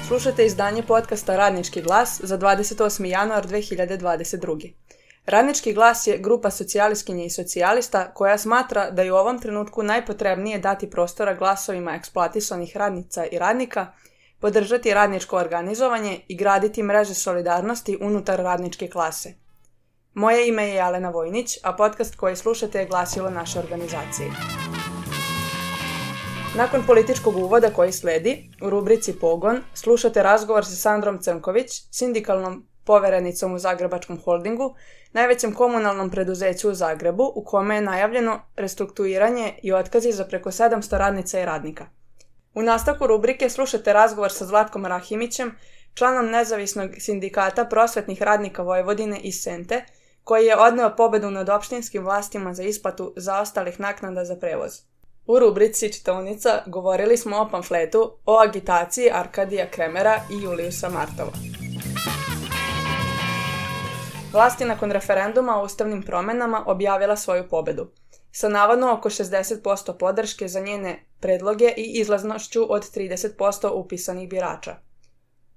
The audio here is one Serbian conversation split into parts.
Slušate izdanje podcasta Radnički glas za 28. januar 2022. Radnički glas je grupa socijalistkinja i socijalista koja smatra da je u ovom trenutku najpotrebnije dati prostora glasovima eksploatisanih radnica i radnika, podržati radničko organizovanje i graditi mreže solidarnosti unutar radničke klase. Moje ime je Jelena Vojnić, a podcast koji slušate je glasilo naše organizacije. Nakon političkog uvoda koji sledi, u rubrici Pogon, slušate razgovor sa Sandrom Crnković, sindikalnom poverenicom u Zagrebačkom holdingu, najvećem komunalnom preduzeću u Zagrebu, u kome je najavljeno restrukturiranje i otkazi za preko 700 radnica i radnika. U nastavku rubrike slušate razgovor sa Zlatkom Rahimićem, članom nezavisnog sindikata prosvetnih radnika Vojvodine iz Sente, koji je odneo pobedu nad opštinskim vlastima za isplatu zaostalih naknada za prevoz. U rubrici Čitaonica govorili smo o pamfletu o agitaciji Arkadija Kremera i Juliusa Martova. Vlast je nakon referenduma o ustavnim promenama objavila svoju pobedu, sa navodno oko 60% podrške za njene predloge i izlaznošću od 30% upisanih birača.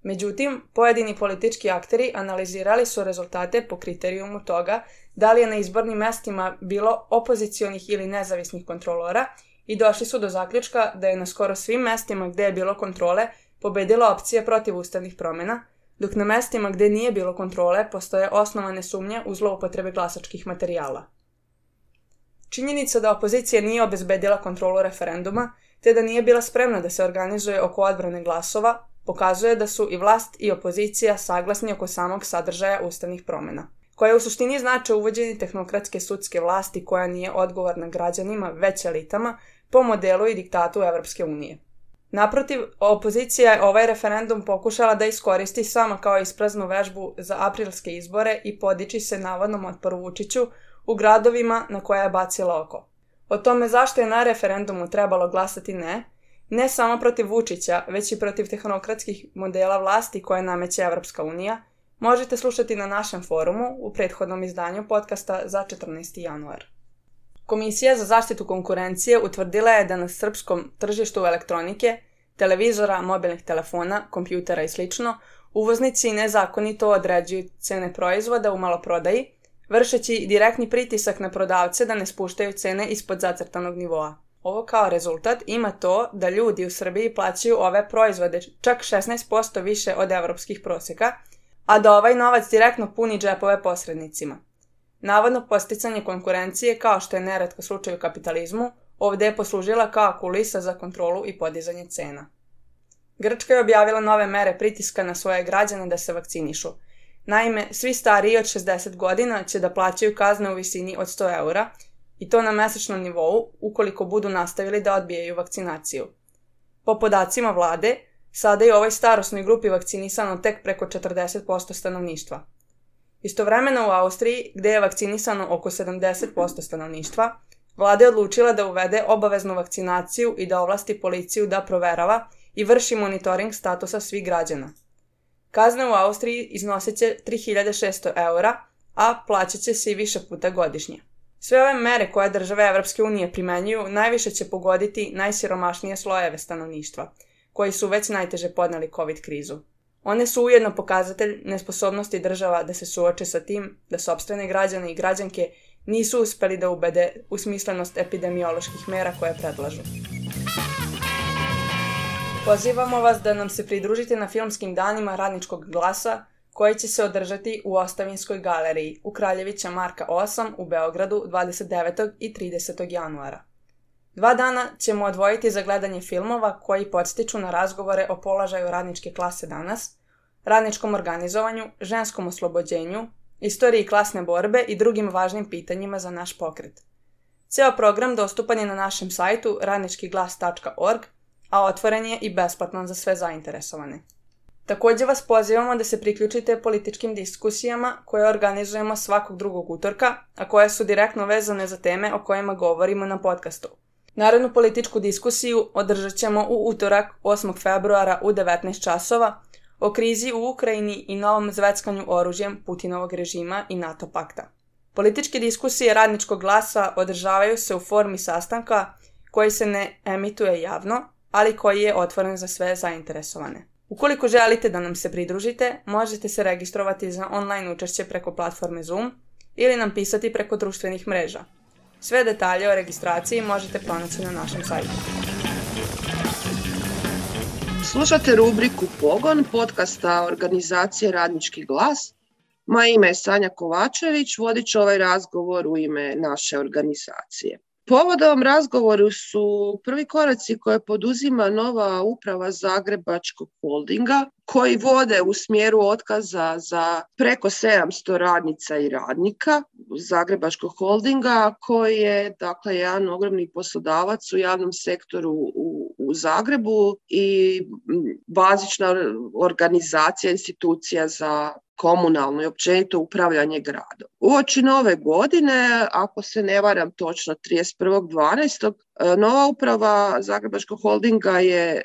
Međutim, pojedini politički akteri analizirali su rezultate po kriterijumu toga da li je na izbornim mestima bilo opozicionih ili nezavisnih kontrolora i došli su do zaključka da je na skoro svim mestima gde je bilo kontrole pobedila opcija protiv ustavnih promjena, dok na mestima gde nije bilo kontrole postoje osnovane sumnje u zloupotrebe glasačkih materijala. Činjenica da opozicija nije obezbedila kontrolu referenduma, te da nije bila spremna da se organizuje oko odbrane glasova, pokazuje da su i vlast i opozicija saglasni oko samog sadržaja ustavnih promjena, koje u suštini znače uvođenje tehnokratske sudske vlasti koja nije odgovorna građanima već elitama po modelu i diktatu Evropske unije. Naprotiv, opozicija je ovaj referendum pokušala da iskoristi sama kao ispraznu vežbu za aprilske izbore i podiči se navodnom otporu Vučiću u gradovima na koje je bacila oko. O tome zašto je na referendumu trebalo glasati ne samo protiv Vučića, već i protiv tehnokratskih modela vlasti koje nameće Evropska unija, možete slušati na našem forumu u prethodnom izdanju podcasta za 14. januar. Komisija za zaštitu konkurencije utvrdila je da na srpskom tržištu elektronike, televizora, mobilnih telefona, kompjutera i sl. Uvoznici nezakonito određuju cene proizvoda u maloprodaji, vršeći direktni pritisak na prodavce da ne spuštaju cene ispod zacrtanog nivoa. Ovo kao rezultat ima to da ljudi u Srbiji plaćaju ove proizvode čak 16% više od evropskih prosjeka, a da ovaj novac direktno puni džepove posrednicima. Navodno podsticanje konkurencije, kao što je neretko slučaj u kapitalizmu, ovdje je poslužila kao kulisa za kontrolu i podizanje cena. Grčka je objavila nove mere pritiska na svoje građane da se vakcinišu. Naime, svi stariji od 60 godina će da plaćaju kazne u visini od 100 eura, i to na mesečnom nivou ukoliko budu nastavili da odbijaju vakcinaciju. Po podacima vlade, sada je u ovoj starosnoj grupi vakcinisano tek preko 40% stanovništva. Istovremeno u Austriji, gde je vakcinisano oko 70% stanovništva, vlada je odlučila da uvede obaveznu vakcinaciju i da ovlasti policiju da proverava i vrši monitoring statusa svih građana. Kazne u Austriji iznosit će 3600 eura, a plaćat će se i više puta godišnje. Sve ove mere koje države Evropske unije primenjuju najviše će pogoditi najsiromašnije slojeve stanovništva, koji su već najteže podneli COVID krizu. One su ujedno pokazatelj nesposobnosti država da se suoče sa tim da sopstvene građane i građanke nisu uspeli da ubede u smislenost epidemioloških mera koje predlažu. Pozivamo vas da nam se pridružite na filmskim danima Radničkog glasa, koji će se održati u Ostavinskoj galeriji u Kraljevića Marka 8 u Beogradu 29. i 30. januara. 2 dana ćemo odvojiti za gledanje filmova koji podstiču na razgovore o položaju radničke klase danas, radničkom organizovanju, ženskom oslobođenju, istoriji klasne borbe i drugim važnim pitanjima za naš pokret. Ceo program dostupan je na našem sajtu radničkiglas.org, a otvoren je i besplatan za sve zainteresovane. Također vas pozivamo da se priključite političkim diskusijama koje organizujemo svakog drugog utorka, a koje su direktno vezane za teme o kojima govorimo na podcastu. Narednu političku diskusiju održat ćemo u utorak 8. februara u 19 časova o krizi u Ukrajini i novom zveckanju oružjem Putinovog režima i NATO pakta. Političke diskusije Radničkog glasa održavaju se u formi sastanka koji se ne emituje javno, ali koji je otvoren za sve zainteresovane. Ukoliko želite da nam se pridružite, možete se registrovati za online učešće preko platforme Zoom ili nam pisati preko društvenih mreža. Sve detalje o registraciji možete pronaći na našem sajtu. Slušate rubriku Pogon podcasta organizacije Radnički glas. Moje ime je Sanja Kovačević, vodit ću ovaj razgovor u ime naše organizacije. Povod ovom razgovoru su prvi koraci koje poduzima nova uprava Zagrebačkog holdinga, koji vode u smjeru otkaza za preko 700 radnica i radnika Zagrebačkog holdinga, koji je dakle jedan ogromni poslodavac u javnom sektoru u Zagrebu i bazična organizacija, institucija za komunalno i općenito upravljanje gradom. Uoči nove godine, ako se ne varam točno 31.12., nova uprava Zagrebačkog holdinga je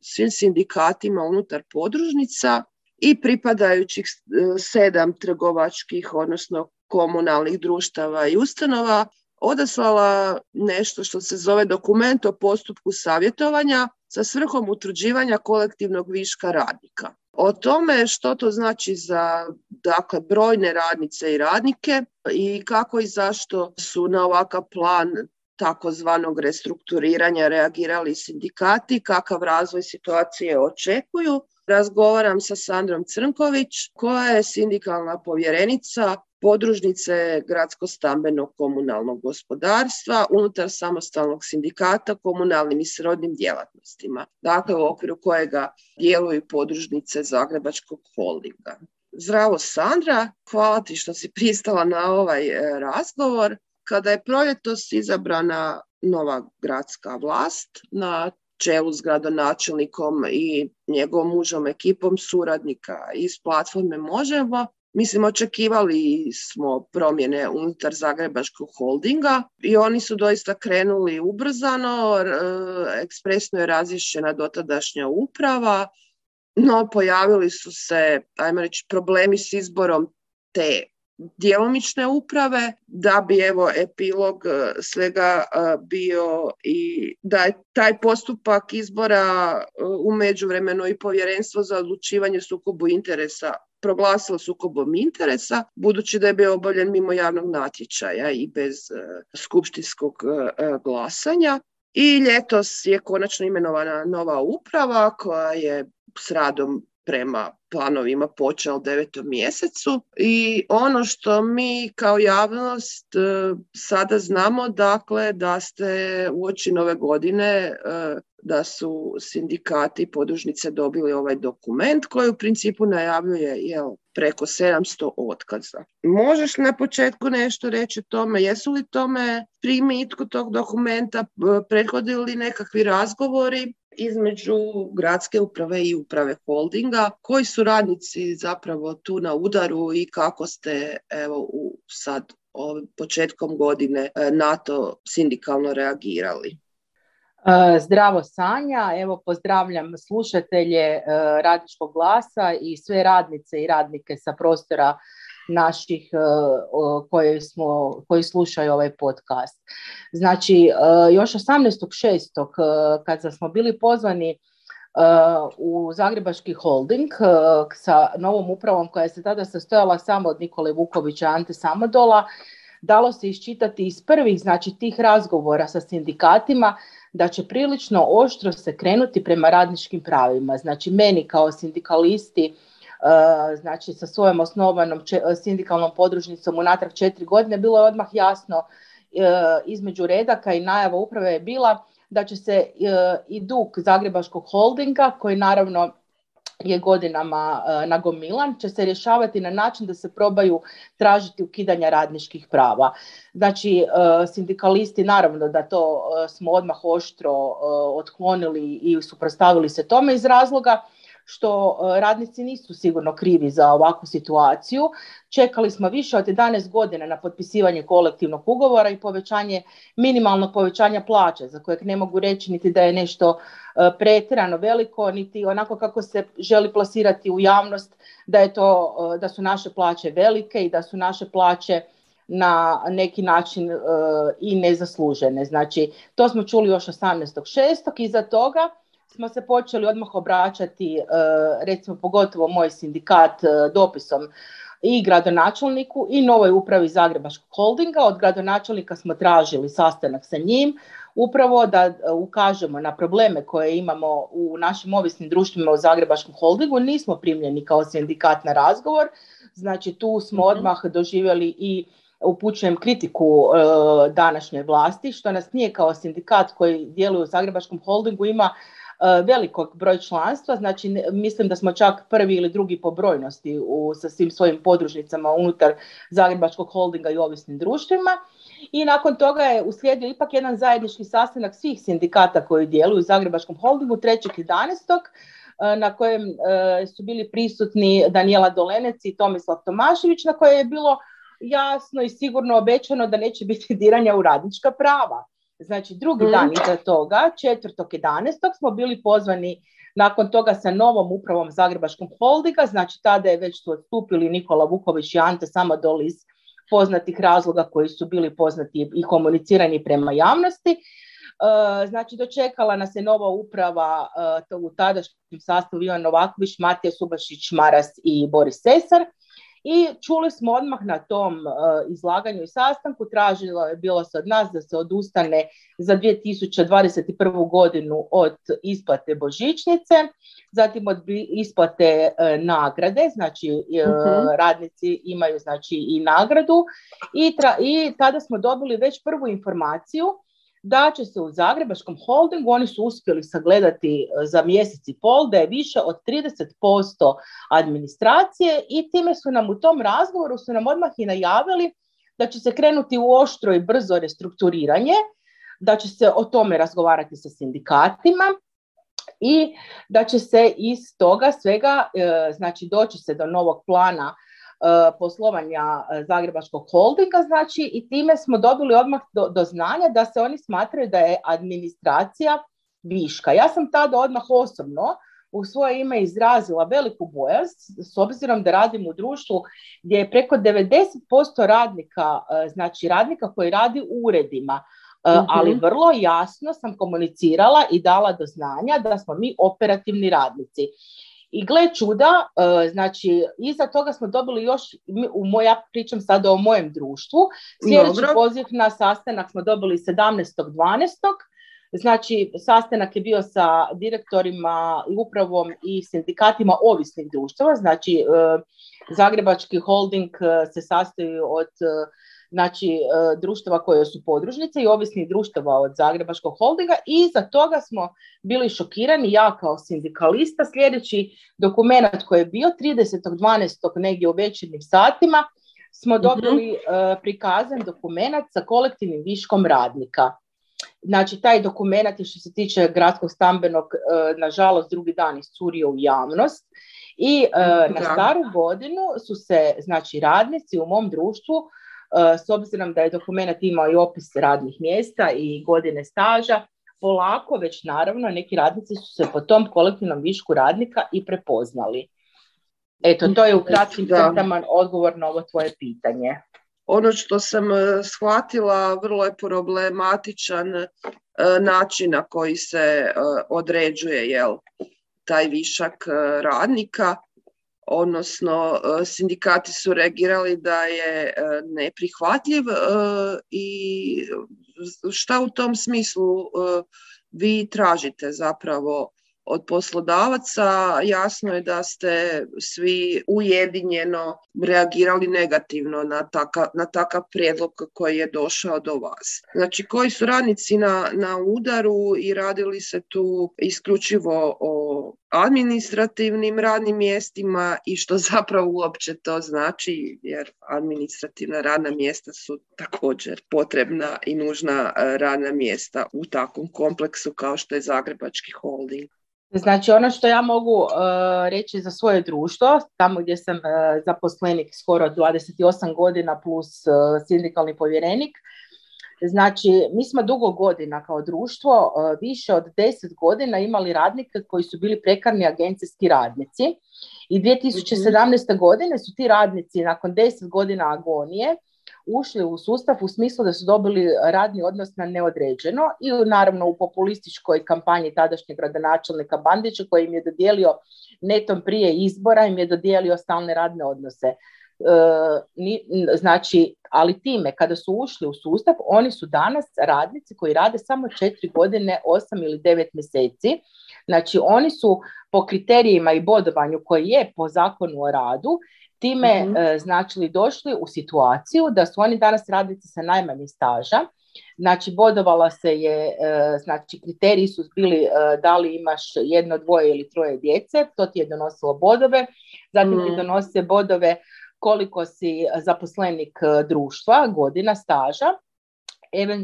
svim sindikatima unutar podružnica i pripadajućih 7 trgovačkih, odnosno komunalnih društava i ustanova odaslala nešto što se zove dokument o postupku savjetovanja sa svrhom utvrđivanja kolektivnog viška radnika. O tome što to znači za dakle, brojne radnice i radnike i kako i zašto su na ovakav plan takozvanog restrukturiranja reagirali sindikati, kakav razvoj situacije očekuju, razgovaram sa Sandrom Crnković, koja je sindikalna povjerenica podružnice Gradsko-stambenog komunalnog gospodarstva unutar samostalnog sindikata komunalnim i srodnim djelatnostima, dakle u okviru kojega djeluju podružnice Zagrebačkog holdinga. Zdravo Sandra, hvala ti što si pristala na ovaj razgovor. Kada je proljetos izabrana nova gradska vlast na čelu s gradonačelnikom i njegovom mužom ekipom suradnika iz platforme Možemo, mislim, očekivali smo promjene unutar Zagrebačkog holdinga i oni su doista krenuli ubrzano, ekspresno je razriješena dotadašnja uprava, no pojavili su se, ajmo reći, problemi s izborom te djelomične uprave, da bi evo epilog svega bio i da je taj postupak izbora u međuvremenu i Povjerenstvo za odlučivanje o sukobu interesa proglasilo sukobom interesa, budući da je bio obavljen mimo javnog natječaja i bez skupštinskog glasanja. I ljetos je konačno imenovana nova uprava koja je s radom prema planovima počela u 9. mjesecu i ono što mi kao javnost sada znamo, dakle, da ste uoči nove godine da su sindikati i podružnice dobili ovaj dokument koji u principu najavljuje preko 700 otkaza. Možeš li na početku nešto reći o tome? Jesu li tome primitku tog dokumenta prethodili nekakvi razgovori između gradske uprave i uprave holdinga? Koji su radnici zapravo tu na udaru i kako ste sad početkom godine na to sindikalno reagirali? Zdravo Sanja, evo pozdravljam slušatelje Radničkog glasa i sve radnice i radnike sa prostora naših koji slušaju ovaj podcast. Znači, još 18.6. kad smo bili pozvani u Zagrebački holding sa novom upravom koja se tada sastojala samo od Nikole Vukovića i Ante Samodola, dalo se iščitati iz prvih, znači, tih razgovora sa sindikatima da će prilično oštro se krenuti prema radničkim pravima. Znači, meni kao sindikalisti, znači sa svojom osnovanom sindikalnom podružnicom unatrag 4 godine, bilo je odmah jasno između redaka i najava uprave je bila da će se i dug Zagrebačkog holdinga, koji naravno je godinama nagomilan, će se rješavati na način da se probaju tražiti ukidanja radničkih prava. Znači, sindikalisti, naravno da to smo odmah oštro otklonili i suprotstavili se tome iz razloga što radnici nisu sigurno krivi za ovakvu situaciju. Čekali smo više od 11 godina na potpisivanje kolektivnog ugovora i minimalnog povećanja plaće, za kojeg ne mogu reći niti da je nešto pretjerano veliko, niti onako kako se želi plasirati u javnost da su naše plaće velike i da su naše plaće na neki način i nezaslužene. Znači, to smo čuli još 18.6. Iza toga smo se počeli odmah obraćati, recimo pogotovo moj sindikat, dopisom i gradonačelniku i novoj upravi Zagrebačkog holdinga. Od gradonačelnika smo tražili sastanak sa njim, upravo da ukažemo na probleme koje imamo u našim ovisnim društvima u Zagrebačkom holdingu. Nismo primljeni kao sindikat na razgovor, znači tu smo odmah doživjeli i upućujem kritiku današnje vlasti, što nas nije kao sindikat koji djeluje u Zagrebačkom holdingu ima velikog broj članstva, znači mislim da smo čak prvi ili drugi po brojnosti sa svim svojim podružnicama unutar Zagrebačkog holdinga i ovisnim društvima. I nakon toga je uslijedio ipak jedan zajednički sastanak svih sindikata koji djeluju u Zagrebačkom holdingu 3.11. na kojem su bili prisutni Danijela Dolenec i Tomislav Tomašević, na koje je bilo jasno i sigurno obećano da neće biti diranja u radnička prava. Znači drugi dan iza toga, 4.11. smo bili pozvani nakon toga sa novom upravom Zagrebačkog holdinga, znači tada je već su odstupili Nikola Vuković i Ante Samodol iz poznatih razloga koji su bili poznati i komunicirani prema javnosti. Znači dočekala nas je nova uprava u tadašnjem sastavu Ivan Novaković, Matija Subašić, Maras i Boris Cesar. I čuli smo odmah na tom izlaganju i sastanku, tražilo je bilo se od nas da se odustane za 2021. godinu od isplate božićnice, zatim od isplate nagrade, znači radnici imaju znači i nagradu i tada smo dobili već prvu informaciju da će se u Zagrebačkom holdingu, oni su uspjeli sagledati za mjesec i pol, da je više od 30% administracije i time su nam u tom razgovoru su nam odmah i najavili da će se krenuti u oštro i brzo restrukturiranje, da će se o tome razgovarati sa sindikatima i da će se iz toga svega, znači doći se do novog plana poslovanja Zagrebačkog holdinga, znači i time smo dobili odmah do znanja da se oni smatraju da je administracija viška. Ja sam tada odmah osobno u svoje ime izrazila veliku bojaznost s obzirom da radim u društvu gdje je preko 90% radnika, znači radnika koji radi u uredima, ali vrlo jasno sam komunicirala i dala do znanja da smo mi operativni radnici. I gle čuda, znači iza toga smo dobili još, ja pričam sada o mojem društvu, sljedeći poziv na sastanak smo dobili 17.12. Znači sastanak je bio sa direktorima i upravom i sindikatima ovisnih društava, znači Zagrebački holding se sastoji od znači društava koje su podružnice i ovisnih društava od Zagrebačkog holdinga i iza toga smo bili šokirani, ja kao sindikalista, sljedeći dokument koji je bio 30.12. negdje u večernjim satima smo dobili prikazan dokument sa kolektivnim viškom radnika. Znači taj dokument je što se tiče gradskog stambenog, nažalost drugi dan iscurio u javnost i na staru godinu su se znači radnici u mom društvu, s obzirom da je dokument imao i opis radnih mjesta i godine staža, polako već naravno neki radnici su se po tom kolektivnom višku radnika i prepoznali. Eto, to je u kratkim crtama odgovor na ovo tvoje pitanje. Ono što sam shvatila, vrlo je problematičan način na koji se određuje taj višak radnika. Odnosno sindikati su reagirali da je neprihvatljiv i šta u tom smislu vi tražite zapravo od poslodavaca? Jasno je da ste svi ujedinjeno reagirali negativno na takav prijedlog koji je došao do vas. Znači, koji su radnici na udaru i radili se tu isključivo o administrativnim radnim mjestima i što zapravo uopće to znači, jer administrativna radna mjesta su također potrebna i nužna radna mjesta u takvom kompleksu kao što je Zagrebački holding. Znači ono što ja mogu reći za svoje društvo, tamo gdje sam zaposlenik skoro 28 godina plus sindikalni povjerenik, znači mi smo dugo godina kao društvo, više od 10 godina imali radnike koji su bili prekarni agencijski radnici i 2017. godine su ti radnici nakon 10 godina agonije ušli u sustav u smislu da su dobili radni odnos na neodređeno i naravno u populističkoj kampanji tadašnjeg gradonačelnika Bandića koji im je dodijelio netom prije izbora, im je dodijelio stalne radne odnose. Znači, ali time kada su ušli u sustav, oni su danas radnici koji rade samo 4 godine, 8 ili 9 mjeseci. Znači, oni su po kriterijima i bodovanju koji je po zakonu o radu, time znači došli u situaciju da su oni danas radnici sa najmanje staža. Znači, bodovala se je, znači kriteriji su bili da li imaš 1, 2 ili 3 djece, to ti je donosilo bodove, zatim ti donose bodove koliko si zaposlenik društva, godina staža,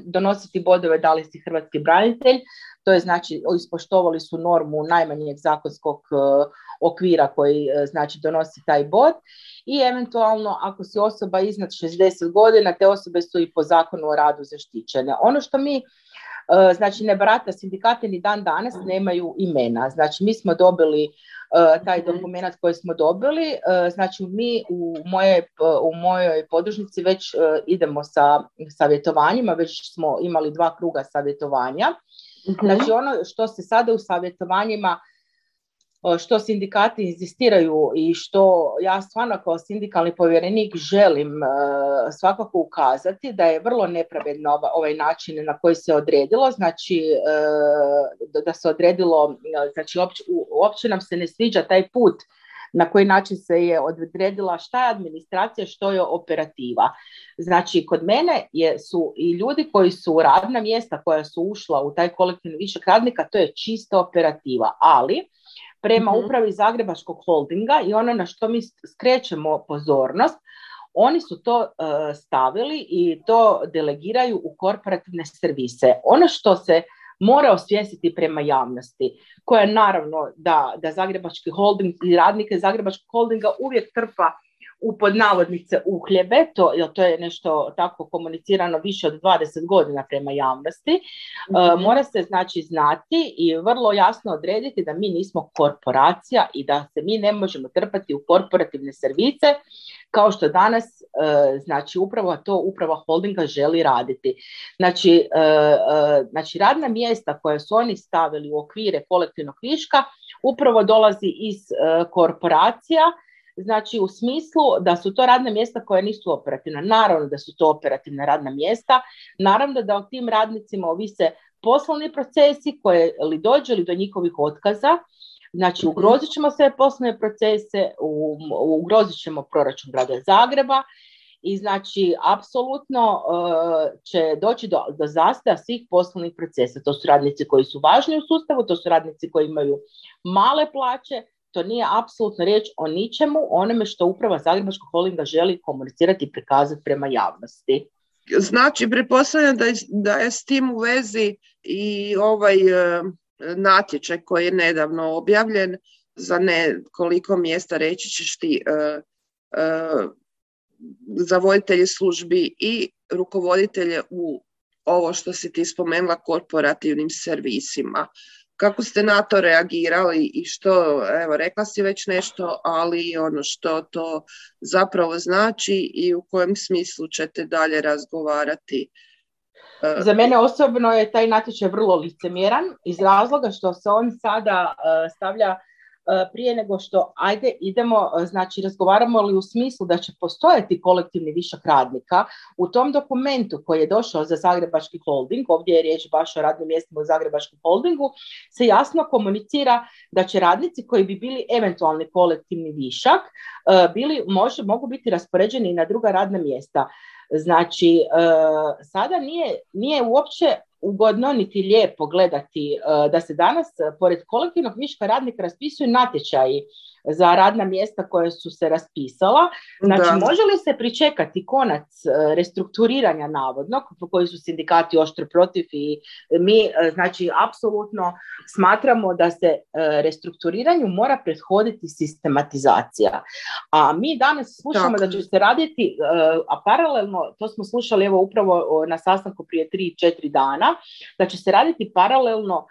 donositi bodove da li si hrvatski branitelj, to je znači ispoštovali su normu najmanjeg zakonskog okvira koji znači donosi taj bod i eventualno ako si osoba iznad 60 godina, te osobe su i po zakonu o radu zaštićene. Ono što mi znači ne barata sindikati ni dan danas nemaju imena. Znači mi smo dobili taj dokument koji smo dobili, znači mi u mojoj podružnici već idemo sa savjetovanjima, već smo imali 2 kruga savjetovanja. Znači ono što se sada u savjetovanjima, što sindikati inzistiraju i što ja stvarno kao sindikalni povjerenik želim svakako ukazati da je vrlo nepravedno ovaj način na koji se odredilo, znači da se odredilo, znači uopće nam se ne sviđa taj put na koji način se je odredila šta je administracija, što je operativa. Znači, kod mene su i ljudi koji su radna mjesta koja su ušla u taj kolektivni višak radnika, to je čista operativa, ali prema upravi Zagrebačkog holdinga i ono na što mi skrećemo pozornost, oni su to stavili i to delegiraju u korporativne servise. Ono što se mora osvijestiti prema javnosti, koja naravno da Zagrebački holding i radnike Zagrebačkog holdinga uvijek trpa u podnavodnice uhljebe, jer to je nešto tako komunicirano više od 20 godina prema javnosti, mora se znači znati i vrlo jasno odrediti da mi nismo korporacija i da se mi ne možemo trpati u korporativne servise kao što danas znači upravo to uprava holdinga želi raditi. Znači radna mjesta koja su oni stavili u okvire kolektivnog viška upravo dolazi iz korporacija, znači u smislu da su to radna mjesta koja nisu operativna. Naravno da su to operativna radna mjesta, naravno da o tim radnicima ovise poslovni procesi koje li dođe li do njihovih otkaza, znači ugrozit ćemo sve poslovne procese, ugrozit ćemo proračun grada Zagreba i znači apsolutno će doći do zastoja svih poslovnih procesa. To su radnici koji su važni u sustavu, to su radnici koji imaju male plaće. To nije apsolutno riječ o ničemu, onome što uprava Zagrebačkog holdinga želi komunicirati i prikazati prema javnosti. Znači, pretpostavljam da je s tim u vezi i ovaj natječaj koji je nedavno objavljen za nekoliko mjesta, reći ćeš ti, za voditelje službi i rukovoditelje u ovo što si ti spomenula korporativnim servisima. Kako ste na to reagirali i što, evo, rekla si već nešto, ali ono što to zapravo znači i u kojem smislu ćete dalje razgovarati? Za mene osobno je taj natječaj vrlo licemjeran iz razloga što se on sada stavlja prije nego što idemo, znači razgovaramo li u smislu da će postojati kolektivni višak radnika. U tom dokumentu koji je došao za Zagrebački holding, ovdje je riječ baš o radnim mjestima u Zagrebačkom holdingu, se jasno komunicira da će radnici koji bi bili eventualni kolektivni višak mogu biti raspoređeni na druga radna mjesta. Znači, sada nije uopće ugodno niti lijepo gledati da se danas pored kolektivnog viška radnika raspisuju natječaji za radna mjesta koje su se raspisala. Znači, može li se pričekati konac restrukturiranja navodnog, koji su sindikati oštro protiv i mi, znači, apsolutno smatramo da se restrukturiranju mora prethoditi sistematizacija. A mi danas slušamo da će se raditi, a paralelno, to smo slušali evo upravo na sastanku prije 3-4 dana, da će se raditi paralelno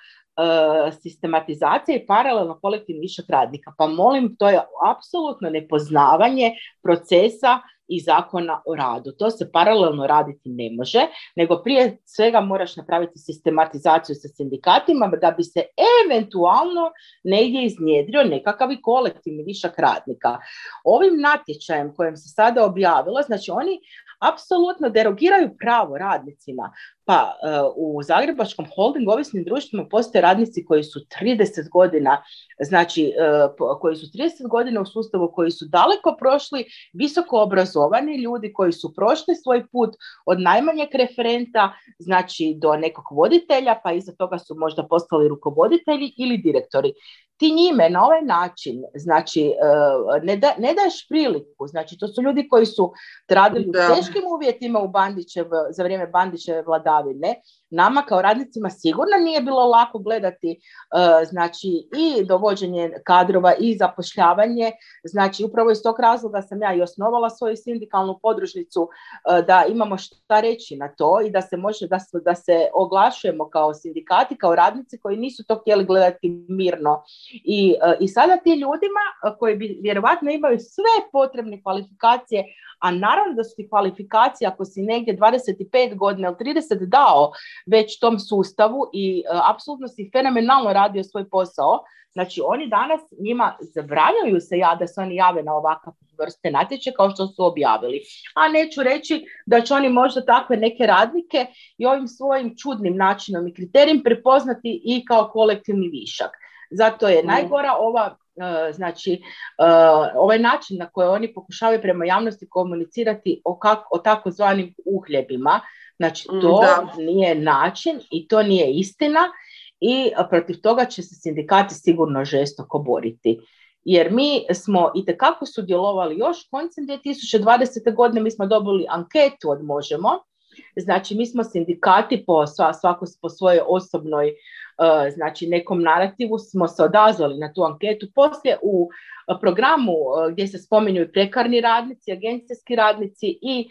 sistematizacija i paralelno kolektivni višak radnika. Pa molim, to je apsolutno nepoznavanje procesa i Zakona o radu. To se paralelno raditi ne može, nego prije svega moraš napraviti sistematizaciju sa sindikatima da bi se eventualno negdje iznjedrio nekakav i kolektivni višak radnika. Ovim natječajem kojem se sada objavilo, znači oni apsolutno derogiraju pravo radnicima. Pa u Zagrebačkom holdingu ovisnim društvima postoje radnici koji su 30 godina, znači koji su 30 godina u sustavu, koji su daleko prošli, visoko obrazovani ljudi koji su prošli svoj put od najmanjeg referenta, znači do nekog voditelja, pa iza toga su možda postali rukovoditelji ili direktori. Ti njime na ovaj način, znači, ne daješ priliku, znači to su ljudi koji su radili u teškim uvjetima za vrijeme Bandićeve vladavine. Nama kao radnicima sigurno nije bilo lako gledati znači i dovođenje kadrova i zapošljavanje, znači upravo iz tog razloga sam ja i osnovala svoju sindikalnu podružnicu da imamo šta reći na to i da se može, da se oglašujemo kao sindikati, kao radnici koji nisu to htjeli gledati mirno. I sada ti ljudima koji bi vjerovatno imaju sve potrebne kvalifikacije, a naravno da su ti kvalifikacije ako si negdje 25 godina ili 30 dao već tom sustavu i apsolutno si fenomenalno radio svoj posao, znači oni danas njima zabranjuju se da se oni jave na ovakav vrste natječaja kao što su objavili. A neću reći da će oni možda takve neke radnike i ovim svojim čudnim načinom i kriterijem prepoznati i kao kolektivni višak. Zato je najgora ovaj način na koji oni pokušavaju prema javnosti komunicirati o takozvanim uhljebima. Znači to nije način i to nije istina i protiv toga će se sindikati sigurno žestoko boriti. Jer mi smo itekako sudjelovali još koncem 2020. godine, mi smo dobili anketu od Možemo. Znači mi smo sindikati svako po svojoj osobnoj znači nekom narativu smo se odazvali na tu anketu. Poslije u programu gdje se spominju i prekarni radnici, agencijski radnici i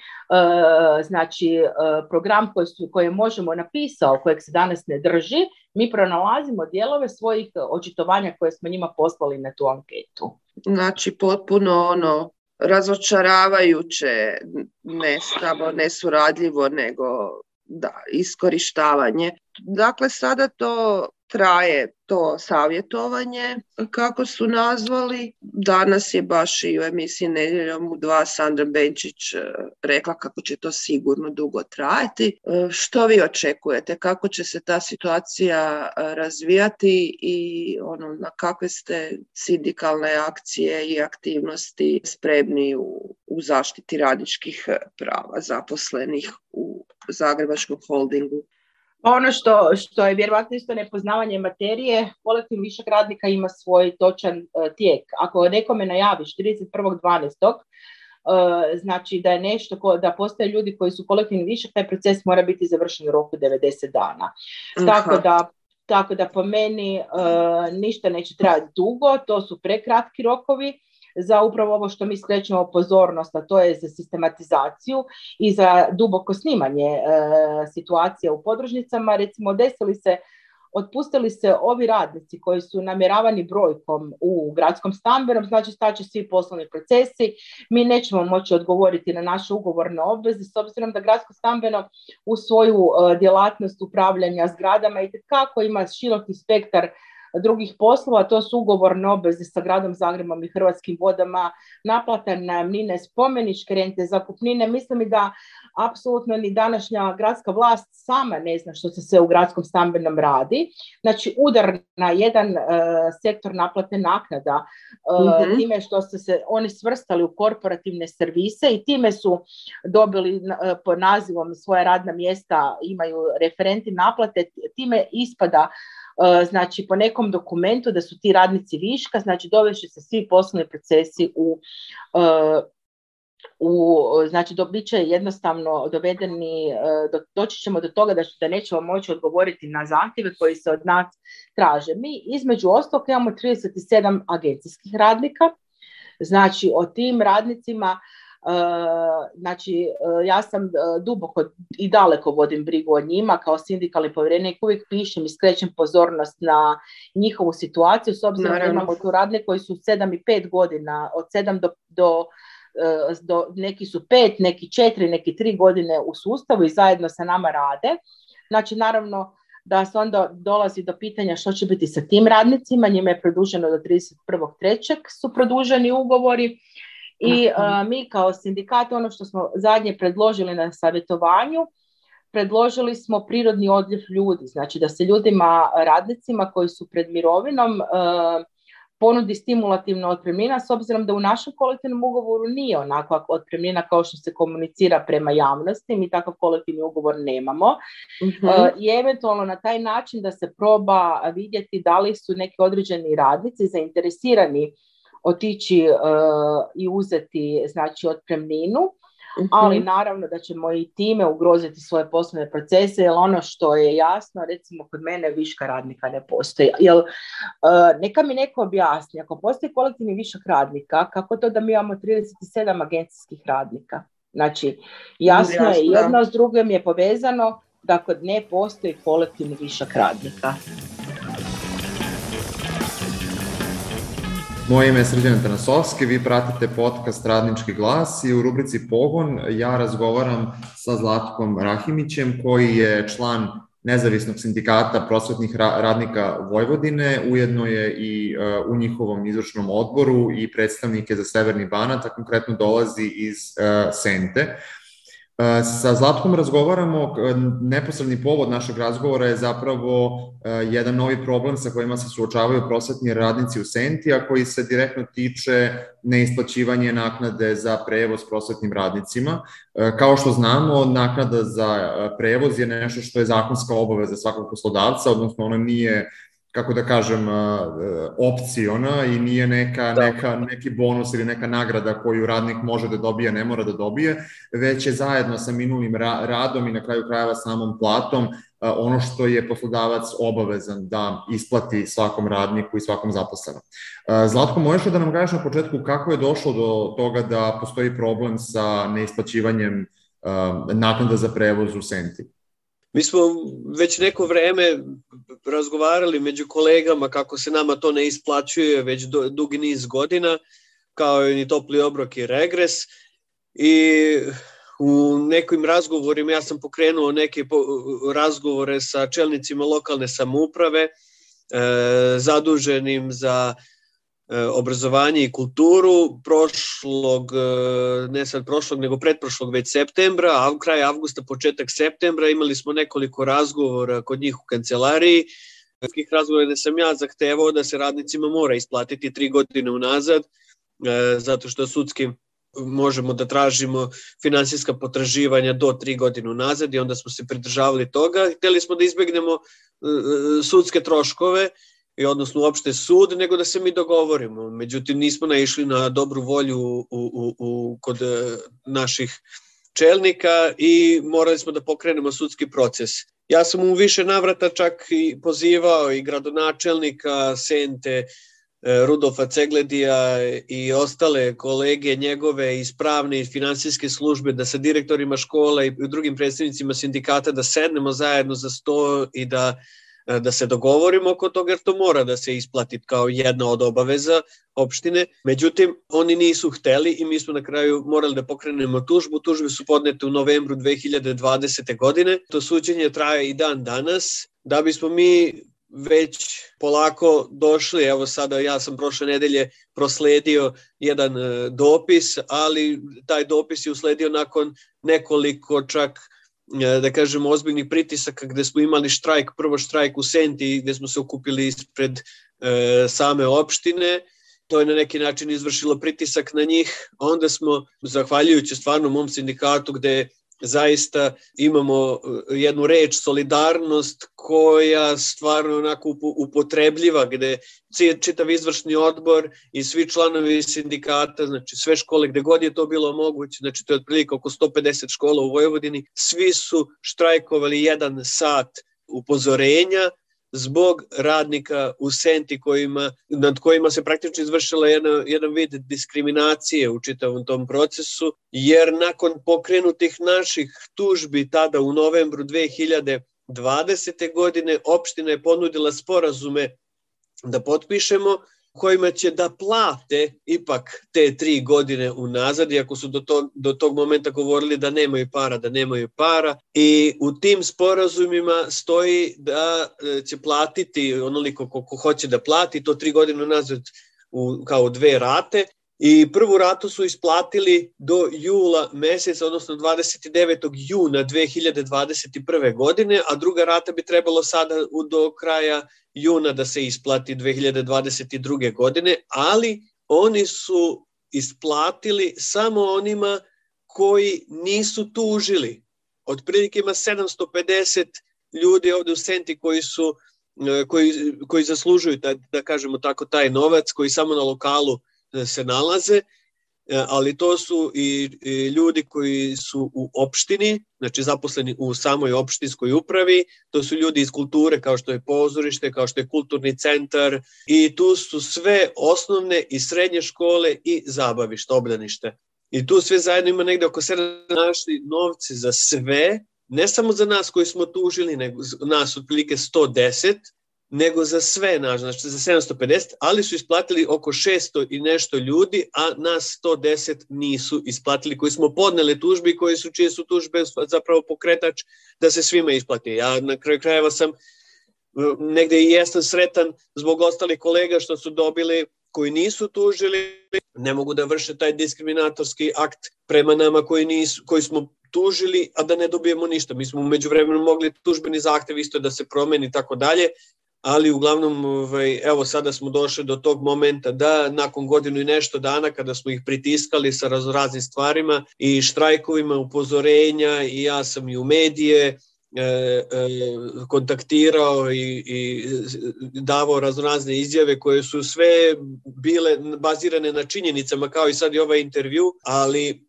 znači program koji Možemo napisao, kojeg se danas ne drži, mi pronalazimo dijelove svojih očitovanja koje smo njima poslali na tu anketu. Znači potpuno razočaravajuće, ne samo nesuradljivo, nego iskorištavanje. Dakle, sada to traje, to savjetovanje, kako su nazvali. Danas je baš i u emisiji Nedjeljom u 2 Sandra Benčić rekla kako će to sigurno dugo trajati. Što vi očekujete? Kako će se ta situacija razvijati i na kakve ste sindikalne akcije i aktivnosti spremni u zaštiti radničkih prava zaposlenih u Zagrebačkom holdingu? Ono što je vjerovatno isto nepoznavanje materije, kolektivni višak radnika ima svoj točan tijek. Ako nekome najaviš 31.12. Znači da je nešto, da postoje ljudi koji su kolektivni višak, taj proces mora biti završen u roku 90 dana. Tako da po meni ništa neće trajati dugo, to su prekratki rokovi za upravo ovo što mi skrećemo pozornost, a to je za sistematizaciju i za duboko snimanje situacija u podružnicama. Recimo, otpustili se ovi radnici koji su namjeravani brojkom u gradskom stambenom, znači staće svi poslovni procesi, mi nećemo moći odgovoriti na naše ugovorne obveze s obzirom da gradsko stambeno u svoju djelatnost upravljanja zgradama itekako ima široki spektar drugih poslova, to su ugovorne obveze sa Gradom Zagrebom i Hrvatskim vodama, naplata najamnine, spomeničke rente, zakupnine. Mislim i da apsolutno ni današnja gradska vlast sama ne zna što se sve u gradskom stambenom radi. Znači udar na jedan sektor naplate naknada, time što su se oni svrstali u korporativne servise i time su dobili po nazivom svoja radna mjesta, imaju referenti naplate, time ispada znači po nekom dokumentu da su ti radnici viška, znači dovešće se svi poslovni procesi znači bit će jednostavno dovedeni, doći ćemo do toga da nećemo moći odgovoriti na zahtjeve koji se od nas traže. Mi između ostalog imamo 37 agencijskih radnika, znači o tim radnicima znači ja sam duboko i daleko vodim brigu o njima kao sindikalni povjerenik, uvijek pišem i skrećem pozornost na njihovu situaciju s obzirom da imamo tu radnike koji su 7 i 5 godina, od 7 do neki su 5, neki 4, neki 3 godine u sustavu i zajedno sa nama rade. Znači, naravno da se onda dolazi do pitanja što će biti sa tim radnicima, njima je produženo do 31.3. su produženi ugovori i mi kao sindikat, ono što smo zadnje predložili na savjetovanju, predložili smo prirodni odljev ljudi, znači da se ljudima, radnicima koji su pred mirovinom ponudi stimulativna otpremnina, s obzirom da u našem kolektivnom ugovoru nije onakva otpremnina kao što se komunicira prema javnosti, mi takav kolektivni ugovor nemamo. I eventualno na taj način da se proba vidjeti da li su neki određeni radnici zainteresirani otići i uzeti, znači, otpremninu, ali naravno da ćemo i time ugroziti svoje poslovne procese, jer ono što je jasno, recimo kod mene viška radnika ne postoji. Jer, neka mi neko objasni, ako postoji kolektivni višak radnika, kako to da mi imamo 37 agencijskih radnika? Znači, jasno je, jedno s drugim je povezano da kod ne postoji kolektivni višak radnika. Moje ime je Srđan Tanasovski, vi pratite podcast Radnički glas i u rubrici Pogon ja razgovaram sa Zlatkom Rahimićem, koji je član Nezavisnog sindikata prosvetnih radnika Vojvodine, ujedno je i u njihovom izvršnom odboru i predstavnike za Severni Banat, a konkretno dolazi iz Sente. Sa Zlatkom razgovaramo, neposredni povod našeg razgovora je zapravo jedan novi problem sa kojima se suočavaju prosvetni radnici u Senti, a koji se direktno tiče neisplaćivanja naknade za prevoz prosvetnim radnicima. Kao što znamo, naknada za prevoz je nešto što je zakonska obaveza svakog poslodavca, odnosno ona nije, kako da kažem, opciona i nije neki bonus ili neka nagrada koju radnik može da dobije, ne mora da dobije, već je zajedno sa minulim radom i na kraju krajeva samom platom ono što je poslodavac obavezan da isplati svakom radniku i svakom zaposlenom. Zlatko, možeš da nam kažeš na početku kako je došlo do toga da postoji problem sa neisplaćivanjem naknada za prevoz u Senti? Mi smo već neko vreme razgovarali među kolegama kako se nama to ne isplaćuje već dugi niz godina, kao i topli obrok i regres. I u nekim razgovorima ja sam pokrenuo neke razgovore sa čelnicima lokalne samouprave, zaduženim za obrazovanje i kulturu pretprošlog već septembra, a kraj avgusta, početak septembra imali smo nekoliko razgovora kod njih u kancelariji. Takvih razgovora da sam ja zahtevao da se radnicima mora isplatiti 3 godine unazad, zato što sudski možemo da tražimo finansijska potraživanja do 3 godine unazad i onda smo se pridržavali toga. Hteli smo da izbegnemo sudske troškove, i odnosno uopšte sud, nego da se mi dogovorimo. Međutim, nismo naišli na dobru volju kod naših čelnika i morali smo da pokrenemo sudski proces. Ja sam u više navrata čak i pozivao i gradonačelnika Sente, Rudolfa Cegledija i ostale kolege njegove iz pravne i finansijske službe da sa direktorima škola i drugim predstavnicima sindikata da sednemo zajedno za sto i da se dogovorimo oko toga, jer to mora da se isplati kao jedna od obaveza opštine. Međutim, oni nisu hteli i mi smo na kraju morali da pokrenemo tužbu. Tužbe su podnete u novembru 2020. godine. To suđenje traje i dan danas. Da bismo mi već polako došli, evo sada ja sam prošle nedelje prosledio jedan dopis, ali taj dopis je usledio nakon nekoliko čak, da kažemo, ozbiljnih pritisaka gde smo imali štrajk, prvo štrajk u Senti gde smo se okupili ispred same opštine. To je na neki način izvršilo pritisak na njih. Onda smo, zahvaljujući stvarno mom sindikatu gde zaista imamo jednu reč solidarnost koja stvarno onako upotrebljiva, gde čitav izvršni odbor i svi članovi sindikata, znači sve škole gde god je to bilo moguće, znači to je otprilike oko 150 škola u Vojvodini, svi su štrajkovali 1 sat upozorenja zbog radnika u Senti nad kojima se praktično izvršila jedan vid diskriminacije u čitavom tom procesu, jer nakon pokrenutih naših tužbi tada u novembru 2020. godine opština je ponudila sporazume da potpišemo kojima će da plate ipak te 3 godine unazad, iako su do tog momenta govorili da nemaju para. I u tim sporazumima stoji da će platiti onoliko koliko hoće da plati, to 3 godine unazad kao 2 rate. I prvu ratu su isplatili do jula meseca, odnosno 29. juna 2021. godine, a druga rata bi trebalo sada do kraja juna da se isplati 2022. godine, ali oni su isplatili samo onima koji nisu tužili. Otprilike ima 750 ljudi ovde u Senti koji zaslužuju, da kažemo tako, taj novac, koji samo na lokalu se nalaze, ali to su i ljudi koji su u opštini, znači zaposleni u samoj opštinskoj upravi, to su ljudi iz kulture kao što je pozorište, kao što je kulturni centar, i tu su sve osnovne i srednje škole i zabavište, obdanište. I tu sve zajedno ima negde oko 7 našli novci za sve, ne samo za nas koji smo tužili, nego nas otprilike 110, nego za sve naš, znači za 750, ali su isplatili oko 600 i nešto ljudi, a nas 110 nisu isplatili, koji smo podneli tužbi, čije su tužbe zapravo pokretač da se svima isplati. Ja na kraju krajeva sam negde i jesam sretan zbog ostalih kolega što su dobili, koji nisu tužili, ne mogu da vrše taj diskriminatorski akt prema nama koji smo tužili, a da ne dobijemo ništa. Mi smo u međuvremenu mogli tužbeni zahtev isto da se promeni i tako dalje, ali uglavnom, evo sada smo došli do tog momenta da nakon godinu i nešto dana kada smo ih pritiskali sa raznoraznim stvarima i štrajkovima, upozorenja, i ja sam i u medije kontaktirao i davao raznorazne izjave koje su sve bile bazirane na činjenicama, kao i sad i ovaj intervju, ali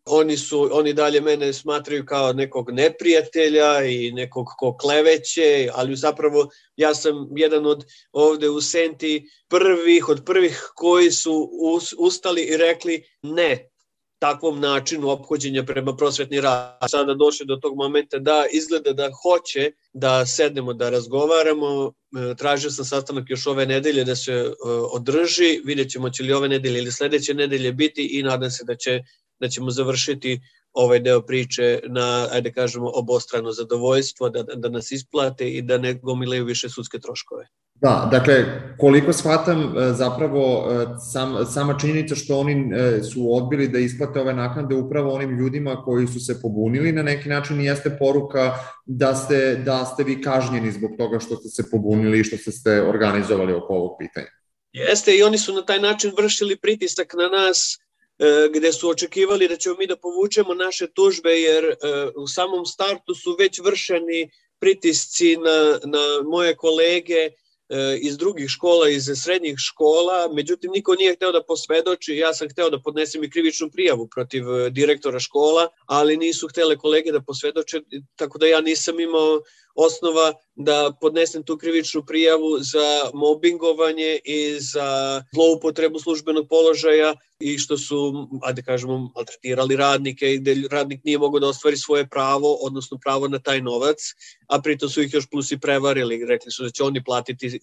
oni dalje mene smatraju kao nekog neprijatelja i nekog ko kleveće, ali zapravo ja sam jedan od ovde u Senti od prvih koji su ustali i rekli ne takvom načinu ophođenja prema prosvetni rad. Sada došli do tog momenta da izgleda da hoće da sednemo, da razgovaramo. Tražio sam sastanak još ove nedelje da se održi. Vidjet ćemo će li ove nedelje ili sledeće nedelje biti i nadam se da ćemo završiti ovaj deo priče na, ajde kažemo, obostrano zadovoljstvo, da nas isplate i da ne gomilaju više sudske troškove. Da, dakle, koliko shvatam, zapravo sama činjenica što oni su odbili da isplate ove naknade upravo onim ljudima koji su se pobunili na neki način jeste poruka da ste vi kažnjeni zbog toga što ste se pobunili i što ste organizovali oko ovog pitanja. Jeste, i oni su na taj način vršili pritisak na nas, gde su očekivali da ćemo mi da povučemo naše tužbe, jer u samom startu su već vršeni pritisci na moje kolege iz drugih škola, iz srednjih škola, međutim niko nije hteo da posvedoči. Ja sam hteo da podnesem i krivičnu prijavu protiv direktora škola, ali nisu htele kolege da posvedoče, tako da ja nisam imao osnova da podnesem tu krivičnu prijavu za mobingovanje i za zloupotrebu službenog položaja i što su, ajde kažemo, maltretirali radnike i gde radnik nije mogao da ostvari svoje pravo, odnosno pravo na taj novac, a pritom su ih još plus i prevarili. Rekli su da će oni platiti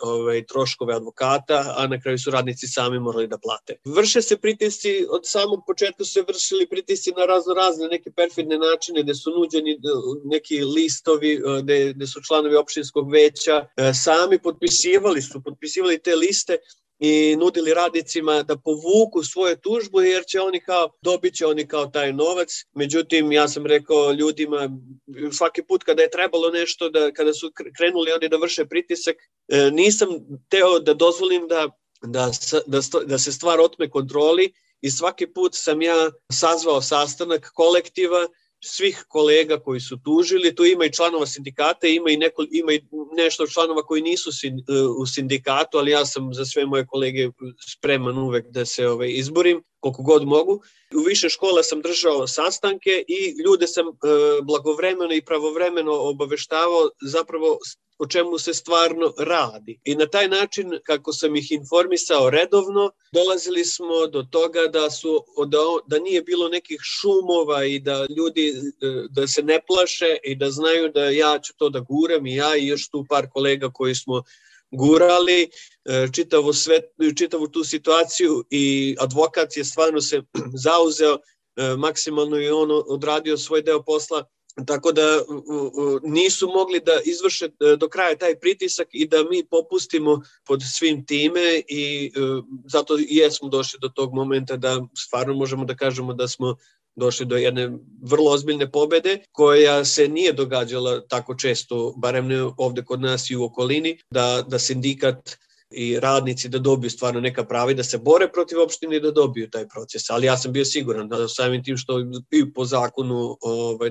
troškove advokata, a na kraju su radnici sami morali da plate. Vrše se pritisci, od samog početka su se vršili pritisci na razne neke perfidne načine, gde su nuđeni neki listovi, gde su članovi opštinskog veća sami potpisivali te liste i nudili radnicima da povuku svoje tužbu, jer će dobit će oni kao taj novac. Međutim, ja sam rekao ljudima, svaki put kada je trebalo nešto, kada su krenuli oni da vrše pritisak, nisam teo da dozvolim da se stvar otme kontroli, i svaki put sam ja sazvao sastanak kolektiva svih kolega koji su tužili. Tu ima i članova sindikata, ima i nešto članova koji nisu u sindikatu, ali ja sam za sve moje kolege spreman uvek da se izborim koliko god mogu. U više škola sam držao sastanke i ljude sam blagovremeno i pravovremeno obaveštavao zapravo o čemu se stvarno radi. I na taj način, kako sam ih informisao redovno, dolazili smo do toga da nije bilo nekih šumova i da ljudi da se ne plaše i da znaju da ja ću to da guram, i ja i još tu par kolega koji smo gurali čitavu tu situaciju i advokat je stvarno se zauzeo maksimalno i on odradio svoj deo posla, tako da nisu mogli da izvrše do kraja taj pritisak i da mi popustimo pod svim time i zato i jesmo došli do tog momenta da stvarno možemo da kažemo da smo došli do jedne vrlo ozbiljne pobede koja se nije događala tako često, barem ne ovde kod nas i u okolini, da sindikat i radnici da dobiju stvarno neka prava i da se bore protiv opštine i da dobiju taj proces. Ali ja sam bio siguran da samim tim što i po zakonu,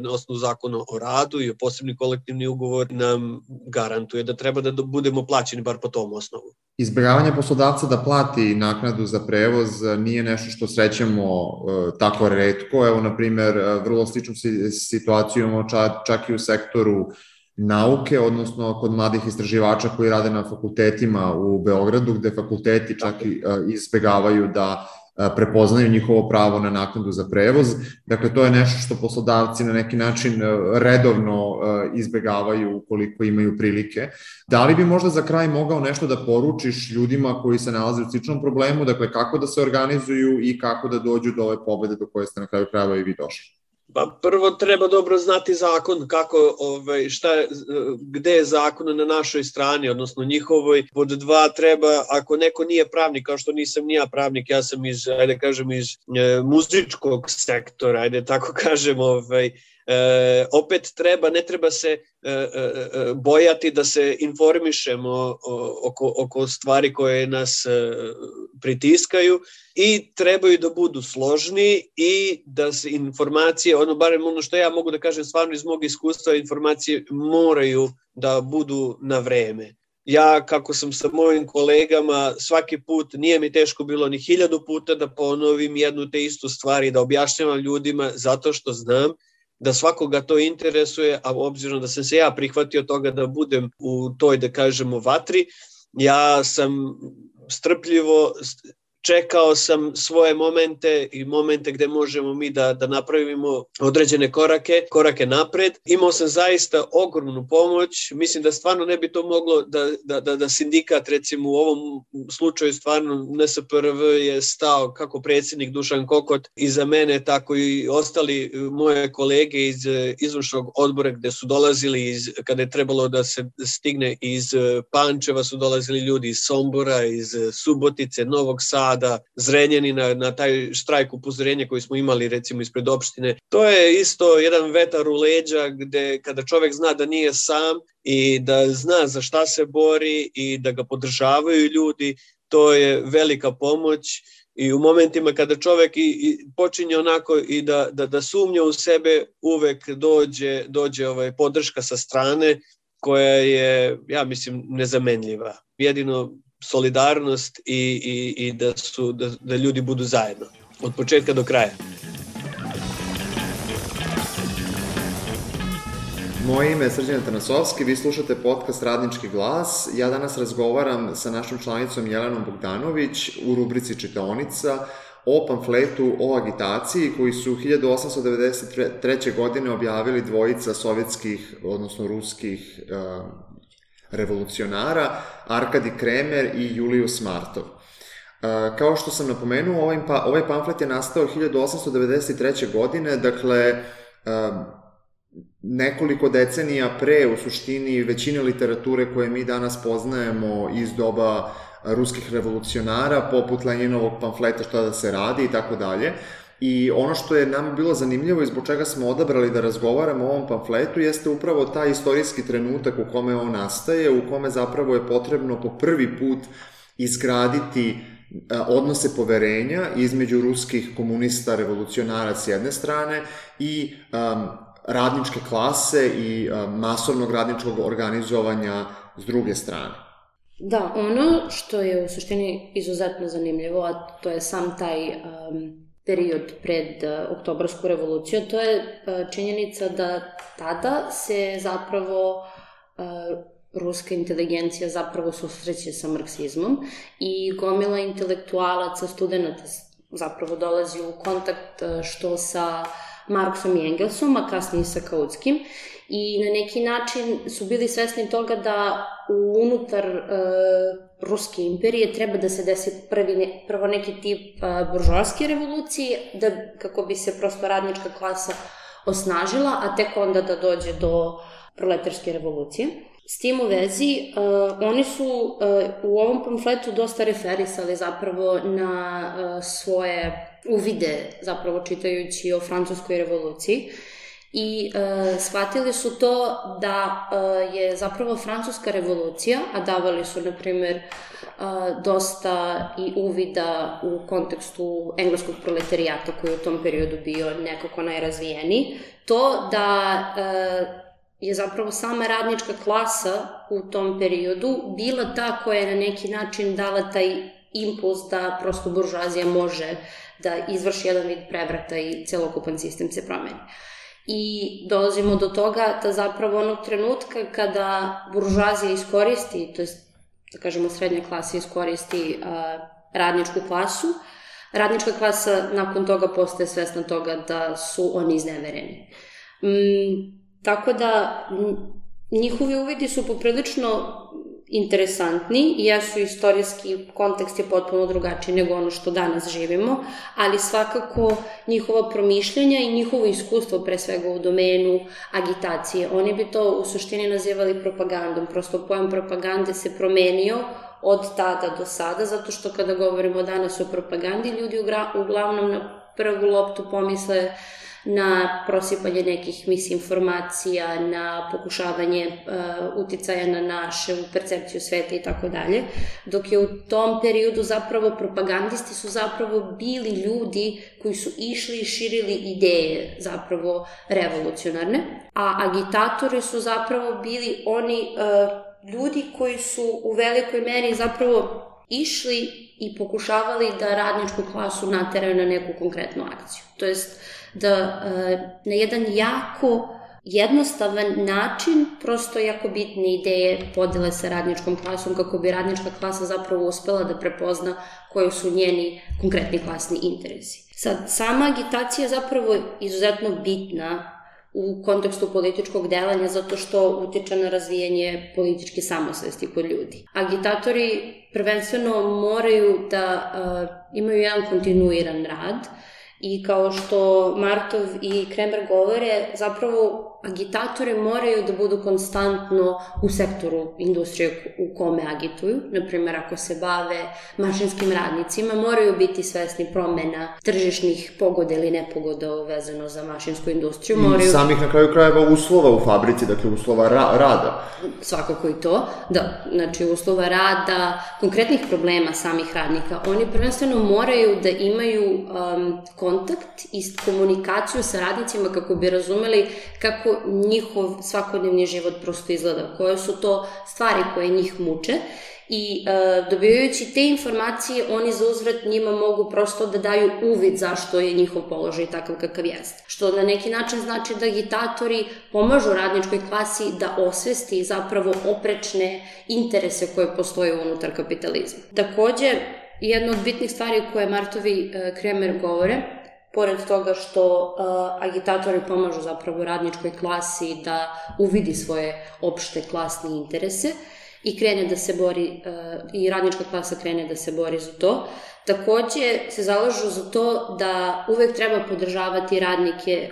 na osnovu zakona o radu i posebni kolektivni ugovor nam garantuje da treba da budemo plaćeni bar po tom osnovu. Izbjegavanje poslodavca da plati naknadu za prevoz nije nešto što srećemo tako retko. Evo, na primjer, vrlo sličnu situaciju imamo čak i u sektoru nauke, odnosno kod mladih istraživača koji rade na fakultetima u Beogradu, gde fakulteti čak i izbegavaju da prepoznaju njihovo pravo na naknadu za prevoz. Dakle, to je nešto što poslodavci na neki način redovno izbegavaju ukoliko imaju prilike. Da li bi možda za kraj mogao nešto da poručiš ljudima koji se nalaze u sličnom problemu, dakle kako da se organizuju i kako da dođu do ove pobede do koje ste na kraju krajeva i vi došli? Pa prvo treba dobro znati zakon, gde je zakon na našoj strani, odnosno njihovoj. Pod dva treba, ako neko nije pravnik, kao što nisam ni ja pravnik, ja sam iz muzičkog sektora, opet ne treba se bojati da se informišemo oko stvari koje nas pritiskaju i trebaju da budu složni i da se informacije, barem ono što ja mogu da kažem stvarno iz mog iskustva, informacije moraju da budu na vreme. Ja, kako sam sa mojim kolegama, svaki put nije mi teško bilo ni 1000 puta da ponovim jednu te istu stvar i da objašnjavam ljudima zato što znam da svakoga to interesuje, a obzirom da sam se ja prihvatio toga da budem u toj, da kažemo, vatri, ja sam strpljivo čekao sam svoje momente i momente gde možemo mi da napravimo određene korake napred. Imao sam zaista ogromnu pomoć. Mislim da stvarno ne bi to moglo da sindikat, recimo u ovom slučaju stvarno NSPRV je stao kako predsjednik Dušan Kokot iza mene, tako i ostali moje kolege iz izvršnog odbora gde su dolazili kada je trebalo da se stigne iz Pančeva, su dolazili ljudi iz Sombora, iz Subotice, Novog Sada, Zrenjanina, na taj štrajk upozorenja koji smo imali recimo ispred opštine. To je isto jedan vetar u leđa gde kada čovek zna da nije sam i da zna za šta se bori i da ga podržavaju ljudi, to je velika pomoć. I u momentima kada čovek počinje onako i da sumnja u sebe, uvek dođe podrška sa strane koja je, ja mislim, nezamenljiva. Jedino solidarnost i da ljudi budu zajedno od početka do kraja. Moje ime je Srđan Tanasovski, vi slušate podcast Radnički glas. Ja danas razgovaram sa našom članicom Jelenom Bogdanović u rubrici Čitaonica o pamfletu o agitaciji koji su 1893. godine objavili dvojica sovjetskih, odnosno ruskih revolucionara, Arkadi Kremer i Julius Martov. Kao što sam napomenuo, ovaj pamflet je nastao 1893. godine, dakle nekoliko decenija pre, u suštini, većine literature koje mi danas poznajemo iz doba ruskih revolucionara, poput Lenjinovog pamfleta Šta da se radi i tako dalje. I ono što je nam bilo zanimljivo i zbog čega smo odabrali da razgovaramo o ovom pamfletu jeste upravo taj istorijski trenutak u kome on nastaje, u kome zapravo je potrebno po prvi put izgraditi odnose poverenja između ruskih komunista, revolucionara s jedne strane i radničke klase i masovnog radničkog organizovanja s druge strane. Da, ono što je u suštini izuzetno zanimljivo, a to je sam taj period pred Oktobarsku revoluciju, to je činjenica da tada se zapravo ruska inteligencija zapravo susreće sa marksizmom i gomila intelektualaca, studenta zapravo dolazi u kontakt što sa Marksom i Engelsom, a kasnije sa Kautskim. I na neki način su bili svesni toga da unutar Ruske imperije treba da se desi prvo neki tip buržoaske revolucije, kako bi se prosto radnička klasa osnažila, a tek onda da dođe do proletarske revolucije. S tim u vezi, oni su u ovom pamfletu dosta referisali zapravo na svoje uvide, zapravo čitajući o francuskoj revoluciji, i shvatili su to da je zapravo francuska revolucija, a davali su, na primer, dosta i uvida u kontekstu engleskog proletarijata koji je u tom periodu bio nekako najrazvijeniji, to da je zapravo sama radnička klasa u tom periodu bila ta koja je na neki način dala taj impuls da prosto buržoazija može da izvrši jedan vid prevrata i celokupan sistem se promeni. I dolazimo do toga da zapravo onog trenutka kada buržoazija iskoristi, to je, da kažemo, srednja klasa iskoristi radničku klasu, radnička klasa nakon toga postaje svesna toga da su oni iznevereni. Tako da njihovi uvidi su poprilično interesantni, jesu istorijski kontekst je potpuno drugačiji nego ono što danas živimo, ali svakako njihova promišljanja i njihovo iskustvo, pre svega u domenu agitacije, oni bi to u suštini nazivali propagandom, prosto pojam propagande se promenio od tada do sada, zato što kada govorimo danas o propagandi, ljudi uglavnom na prvu loptu pomisle na prosipanje nekih misinformacija, na pokušavanje uticaja na našu percepciju sveta i tako dalje, dok je u tom periodu zapravo propagandisti su zapravo bili ljudi koji su išli i širili ideje zapravo revolucionarne, a agitatori su zapravo bili oni ljudi koji su u velikoj meri zapravo išli i pokušavali da radničku klasu nateraju na neku konkretnu akciju. To jest da na jedan jako jednostavan način prosto jako bitne ideje podele sa radničkom klasom kako bi radnička klasa zapravo uspela da prepozna koji su njeni konkretni klasni interesi. Sad, sama agitacija je zapravo izuzetno bitna u kontekstu političkog delanja zato što utiče na razvijanje političke samosvesti kod ljudi. Agitatori prvenstveno moraju da imaju jedan kontinuiran rad i kao što Martov i Kremer govore, zapravo agitatori moraju da budu konstantno u sektoru industrije u kome agituju. Naprimjer, ako se bave mašinskim radnicima, moraju biti svesni promena tržišnih pogoda ili nepogoda vezano za mašinsku industriju. I samih na kraju krajeva uslova u fabrici, dakle uslova rada. Svakako i to, da. Znači uslova rada, konkretnih problema samih radnika. Oni prvenstveno moraju da imaju kontakt i komunikaciju sa radnicima kako bi razumeli kako njihov svakodnevni život prosto izgleda, koje su to stvari koje njih muče i dobivajući te informacije oni za uzvrat njima mogu prosto da daju uvid zašto je njihov položaj takav kakav jeste. Što na neki način znači da agitatori pomažu radničkoj klasi da osvesti zapravo oprečne interese koje postoje unutar kapitalizma. Takođe, jedna od bitnih stvari koje Martov i Kremer govore, pored toga što agitatori pomažu zapravo radničkoj klasi da uvidi svoje opšte klasne interese i krene da se bori, i radnička klasa krene da se bori za to, takođe se zalažu za to da uvek treba podržavati radnike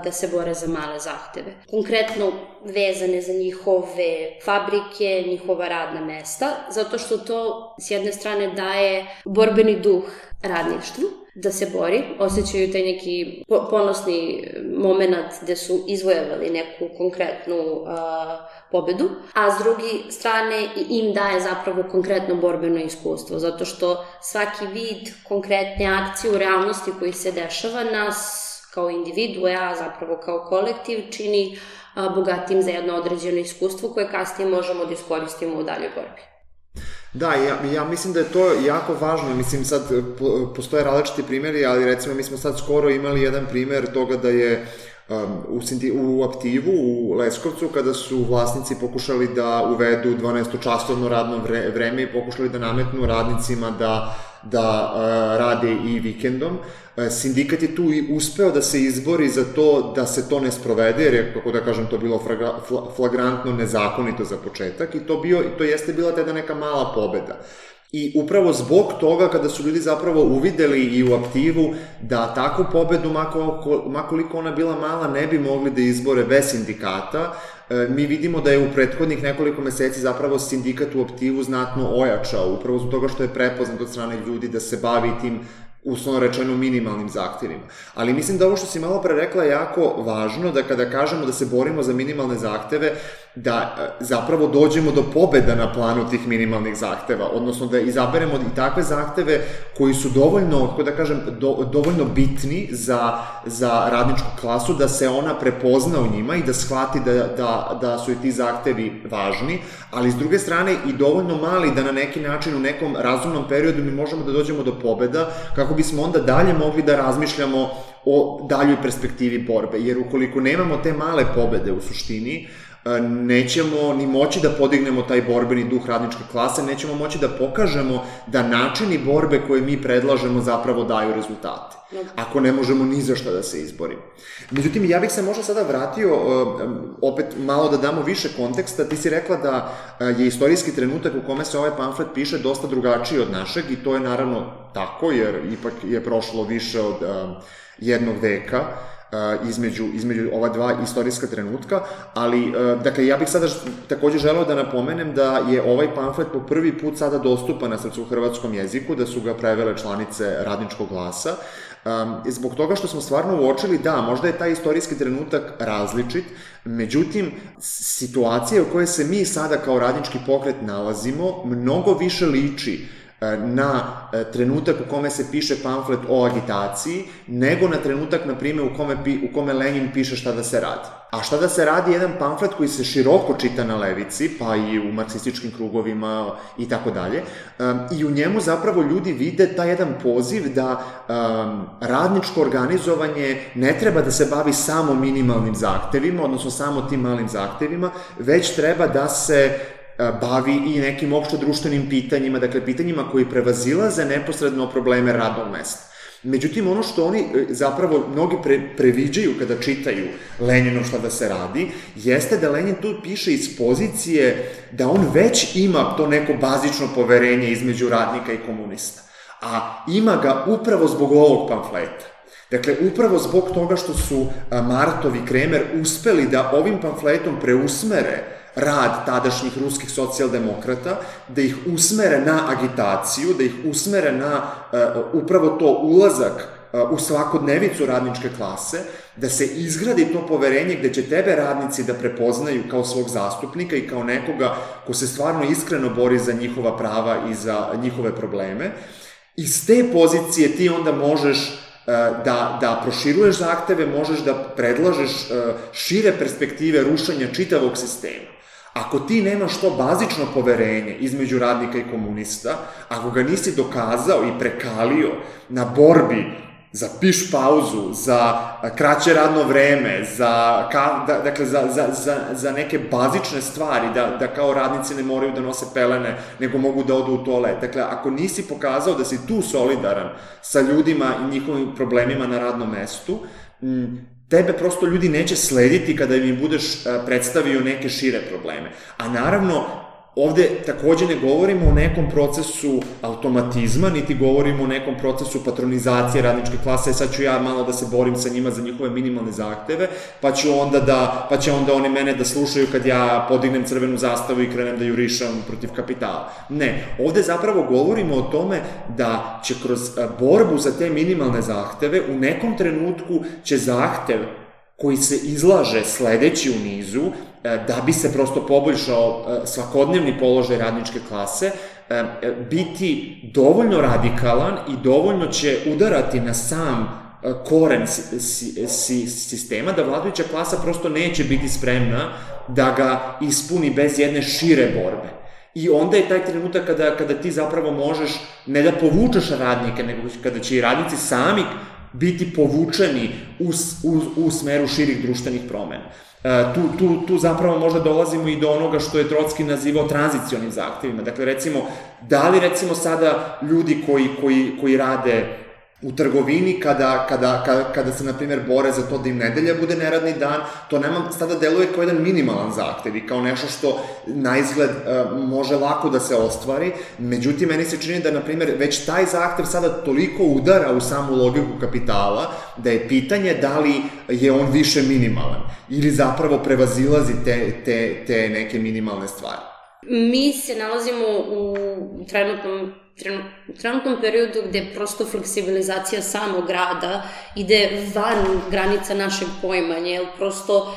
da se bore za male zahteve. Konkretno vezane za njihove fabrike, njihova radna mesta, zato što to s jedne strane daje borbeni duh radništvu, da se bori, osjećaju taj neki ponosni moment gde su izvojevali neku konkretnu pobedu, a s druge strane im daje zapravo konkretno borbeno iskustvo, zato što svaki vid konkretne akcije u realnosti koji se dešava nas kao individue, a zapravo kao kolektiv čini bogatim za jedno određeno iskustvo koje kasnije možemo da iskoristimo u daljoj borbi. Da, ja mislim da je to jako važno, mislim sad postoje različiti primjeri, ali recimo mi smo sad skoro imali jedan primjer toga da je u Aktivu, u Leskovcu, kada su vlasnici pokušali da uvedu 12-časovno radno vreme i pokušali da nametnu radnicima da da rade i vikendom. Sindikat je tu i uspeo da se izbori za to da se to ne sprovede, jer je, kako da kažem, to bilo flagrantno nezakonito za početak i to jeste bila tada neka mala pobeda. I upravo zbog toga, kada su ljudi zapravo uvideli i u aktivu da takvu pobedu, makoliko ona bila mala, ne bi mogli da izbore bez sindikata, mi vidimo da je u prethodnih nekoliko meseci zapravo sindikat u aktivu znatno ojačao, upravo zbog toga što je prepoznat od strane ljudi da se bavi tim uslovno rečeno minimalnim zahtevima. Ali mislim da ovo što si malo pre rekla je jako važno, da kada kažemo da se borimo za minimalne zahteve, da zapravo dođemo do pobeda na planu tih minimalnih zahteva, odnosno da izaberemo i takve zahteve koji su dovoljno, kako da kažem, dovoljno bitni za radničku klasu, da se ona prepozna u njima i da shvati da su i ti zahtevi važni, ali s druge strane i dovoljno mali da na neki način u nekom razumnom periodu mi možemo da dođemo do pobeda, kako bismo onda dalje mogli da razmišljamo o daljoj perspektivi borbe, jer ukoliko nemamo te male pobede u suštini, nećemo ni moći da podignemo taj borbeni duh radničke klase, nećemo moći da pokažemo da načini borbe koje mi predlažemo zapravo daju rezultate, ako ne možemo ni za šta da se izborimo. Međutim, ja bih se možda sada vratio, opet malo da damo više konteksta. Ti si rekla da je istorijski trenutak u kome se ovaj pamflet piše dosta drugačiji od našeg i to je naravno tako, jer ipak je prošlo više od jednog veka između ova dva istorijska trenutka, ali, dakle, ja bih sada takođe želeo da napomenem da je ovaj pamflet po prvi put sada dostupan na srpsko-hrvatskom jeziku, da su ga prevele članice Radničkog glasa, zbog toga što smo stvarno uočili da možda je taj istorijski trenutak različit, međutim, situacija u kojoj se mi sada kao radnički pokret nalazimo mnogo više liči na trenutak u kome se piše pamflet o agitaciji, nego na trenutak, na primjer, u kome Lenin piše Šta da se radi. A Šta da se radi je jedan pamflet koji se široko čita na levici, pa i u marksističkim krugovima i tako dalje, i u njemu zapravo ljudi vide taj jedan poziv da radničko organizovanje ne treba da se bavi samo minimalnim zahtevima, odnosno samo tim malim zahtevima, već treba da se bavi i nekim opšto društvenim pitanjima, dakle pitanjima koji prevazilaze neposredno probleme radnog mesta. Međutim, ono što oni zapravo mnogi previđaju kada čitaju Leninu Šta da se radi, jeste da Lenin tu piše iz pozicije da on već ima to neko bazično poverenje između radnika i komunista, a ima ga upravo zbog ovog pamfleta. Dakle, upravo zbog toga što su Martov i Kremer uspeli da ovim pamfletom preusmere rad tadašnjih ruskih socijaldemokrata, da ih usmere na agitaciju, da ih usmere na upravo to ulazak u svakodnevicu radničke klase, da se izgradi to poverenje gde će tebe radnici da prepoznaju kao svog zastupnika i kao nekoga ko se stvarno iskreno bori za njihova prava i za njihove probleme. Iz te pozicije ti onda možeš da proširuješ zahteve, možeš da predlažeš šire perspektive rušenja čitavog sistema. Ako ti nemaš to bazično poverenje između radnika i komunista, ako ga nisi dokazao i prekalio na borbi za piš pauzu, za kraće radno vreme, za neke bazične stvari, da kao radnici ne moraju da nose pelene, nego mogu da odu u toalet. Dakle, ako nisi pokazao da si tu solidaran sa ljudima i njihovim problemima na radnom mestu, tebe prosto ljudi neće slediti kada im budeš predstavio neke šire probleme. A naravno, ovde takođe ne govorimo o nekom procesu automatizma, niti govorimo o nekom procesu patronizacije radničke klase, sad ću ja malo da se borim sa njima za njihove minimalne zahteve, pa će onda oni mene da slušaju kad ja podignem crvenu zastavu i krenem da jurišam protiv kapitala. Ne, ovde zapravo govorimo o tome da će kroz borbu za te minimalne zahteve u nekom trenutku će zahtev koji se izlaže sledeći u nizu, da bi se prosto poboljšao svakodnevni položaj radničke klase, biti dovoljno radikalan i dovoljno će udarati na sam koren sistema, da vladajuća klasa prosto neće biti spremna da ga ispuni bez jedne šire borbe. I onda je taj trenutak kada ti zapravo možeš ne da povučeš radnike, nego kada će i radnici sami biti povučeni u smeru širih društvenih promena. Tu zapravo možda dolazimo i do onoga što je Trotski nazivao tranzicionim zahtevima. Dakle, recimo, da li recimo sada ljudi koji rade u trgovini, kada se, na primjer, bore za to da im nedelja bude neradni dan, to nama sada deluje kao jedan minimalan zahtev i kao nešto što na izgled može lako da se ostvari. Međutim, meni se čini da, na primjer, već taj zahtev sada toliko udara u samu logiku kapitala, da je pitanje da li je on više minimalan ili zapravo prevazilazi te neke minimalne stvari. Mi se nalazimo u trenutnom periodu gde prosto fleksibilizacija samog rada ide van granica našeg poimanja, jer prosto,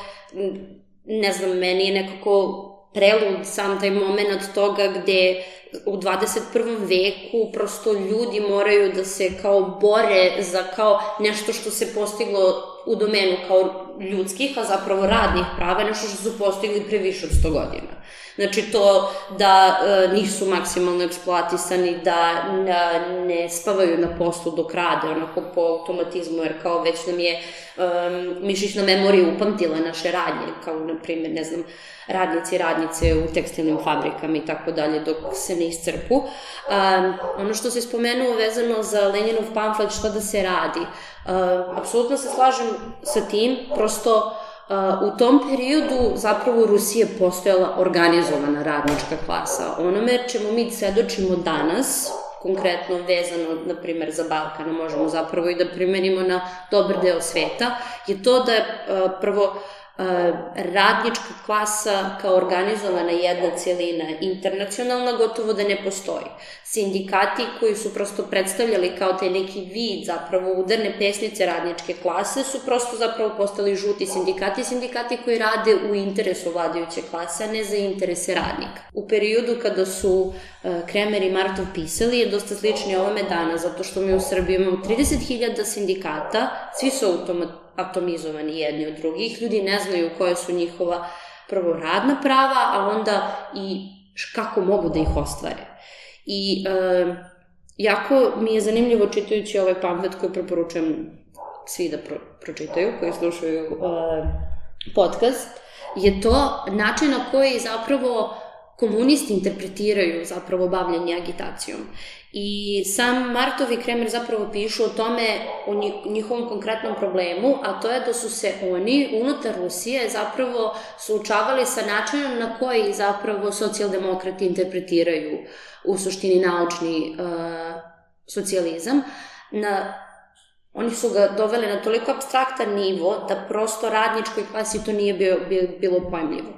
ne znam, meni je nekako prelud sam taj moment toga gde u 21. veku prosto ljudi moraju da se kao bore za kao nešto što se postiglo u domenu kao ljudskih, a zapravo radnih prava, nešto što su postigli pre više od 100 godina. Znači to da nisu maksimalno eksploatisani, da ne spavaju na poslu dok rade, onako po automatizmu, jer kao već nam je mišićna memorija upamtila naše radnje, kao na primjer, ne znam, radnici i radnice u tekstilnim fabrikama i tako dalje, dok se ne iscrpu. Ono što se spomenuo vezano za Leninov pamflet šta da se radi, apsolutno se slažem sa tim, prosto u tom periodu zapravo u Rusiji je postojala organizovana radnička klasa. Onome čemu mi svedočimo danas, konkretno vezano, na primjer, za Balkan, možemo zapravo i da primenimo na dobar deo sveta, je to da prvo radnička klasa kao organizovana jedna celina, internacionalna, gotovo da ne postoji. Sindikati koji su prosto predstavljali kao taj neki vid zapravo udarne pesnice radničke klase su prosto zapravo postali žuti sindikati koji rade u interesu vladajuće klase, a ne za interese radnika. U periodu kada su Kremer i Martov pisali je dosta slični ovome dana, zato što mi u Srbiji imamo 30.000 sindikata, svi su atomizovani jedni od drugih, ljudi ne znaju koje su njihova prvo radna prava, a onda i kako mogu da ih ostvare. I jako mi je zanimljivo čitajući ovaj pamflet koji preporučujem svi da pročitaju, koji slušaju podcast, je to način na koji zapravo komunisti interpretiraju zapravo bavljanje agitacijom. I sam Martov i Kremer zapravo pišu o tome, o njihovom konkretnom problemu, a to je da su se oni unutar Rusije zapravo suočavali sa načinom na koji zapravo socijaldemokrati interpretiraju u suštini naučni socijalizam. Oni su ga doveli na toliko apstraktan nivo da prosto radničkoj klasi to nije bilo pojmljivo.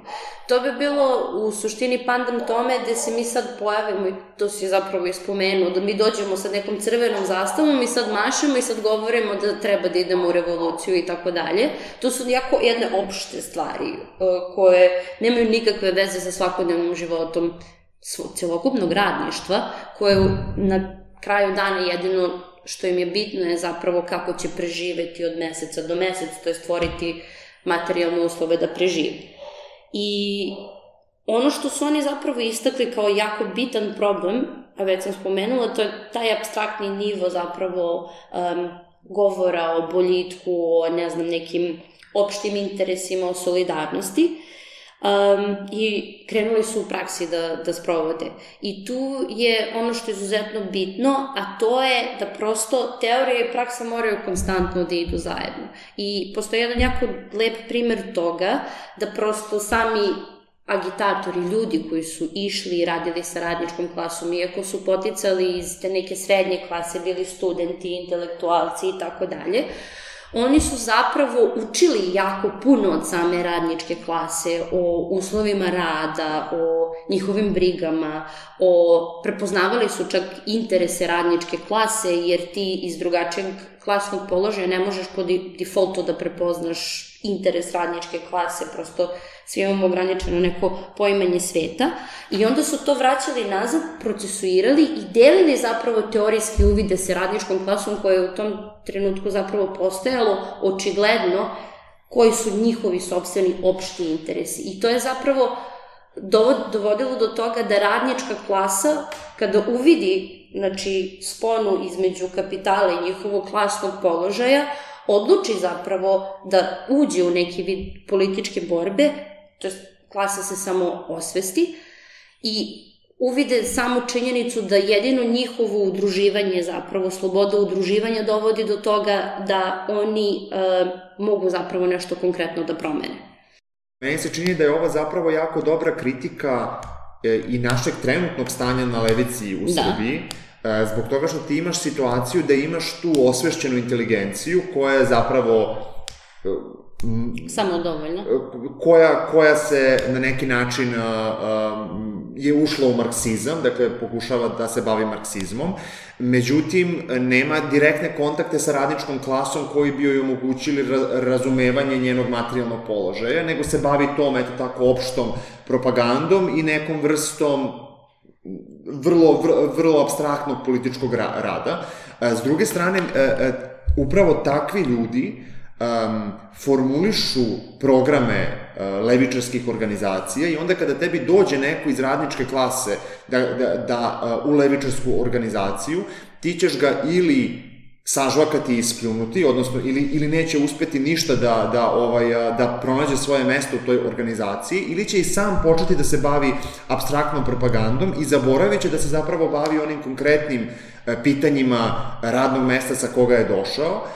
To bi bilo u suštini pandam tome gde se mi sad pojavimo, i to si zapravo ispomenuo, da mi dođemo sa nekom crvenom zastavom i sad mašemo i sad govorimo da treba da idemo u revoluciju i tako dalje. To su jako jedne opšte stvari koje nemaju nikakve veze sa svakodnevnim životom celokupnog radništva, koje na kraju dana jedino što im je bitno je zapravo kako će preživeti od meseca do meseca, to je stvoriti materijalne uslove da preživi. I ono što su oni zapravo istakli kao jako bitan problem, a već sam spomenula, to je taj apstraktni nivo zapravo govora o boljitku, o ne znam, nekim opštim interesima, o solidarnosti. I krenuli su u praksi da sprovode. I tu je ono što je izuzetno bitno, a to je da prosto teorija i praksa moraju konstantno da idu zajedno. I postoji jedan jako lep primer toga da prosto sami agitatori, ljudi koji su išli i radili sa radničkom klasom, iako su poticali iz te neke srednje klase, bili studenti, intelektualci i tako dalje, oni su zapravo učili jako puno od same radničke klase, o uslovima rada, o njihovim brigama, prepoznavali su čak interese radničke klase, jer ti iz drugačijeg klasnog položaja ne možeš po defaultu da prepoznaš interes radničke klase, prosto svi imamo ograničeno neko poimanje sveta, i onda su to vraćali nazad, procesuirali i delili zapravo teorijski uvide sa radničkom klasom koja je u tom trenutku zapravo postojalo očigledno koji su njihovi sopstveni opšti interesi. I to je zapravo dovodilo do toga da radnička klasa, kada uvidi, znači, sponu između kapitala i njihovog klasnog položaja, odluči zapravo da uđe u neki vid političke borbe, to je klasa se samo osvesti i uvide samu činjenicu da jedino njihovo udruživanje, zapravo sloboda udruživanja dovodi do toga da oni mogu zapravo nešto konkretno da promene. Meni se čini da je ova zapravo jako dobra kritika i našeg trenutnog stanja na levici u Srbiji, zbog toga što ti imaš situaciju da imaš tu osvešćenu inteligenciju koja je zapravo samodovoljna. Koja se na neki način je ušla u marksizam, dakle pokušava da se bavi marksizmom, međutim nema direktne kontakte sa radničkom klasom koji bi joj omogućili razumevanje njenog materijalnog položaja, nego se bavi tom, eto tako, opštom propagandom i nekom vrstom vrlo apstraktnog političkog rada. S druge strane, upravo takvi ljudi formulišu programe levičarskih organizacija i onda kada tebi dođe neko iz radničke klase u levičarsku organizaciju, ti ćeš ga ili sažvakati i ispljunuti, odnosno ili neće uspeti ništa da pronađe svoje mesto u toj organizaciji, ili će i sam početi da se bavi apstraktnom propagandom i zaboravit će da se zapravo bavi onim konkretnim pitanjima radnog mesta sa koga je došao,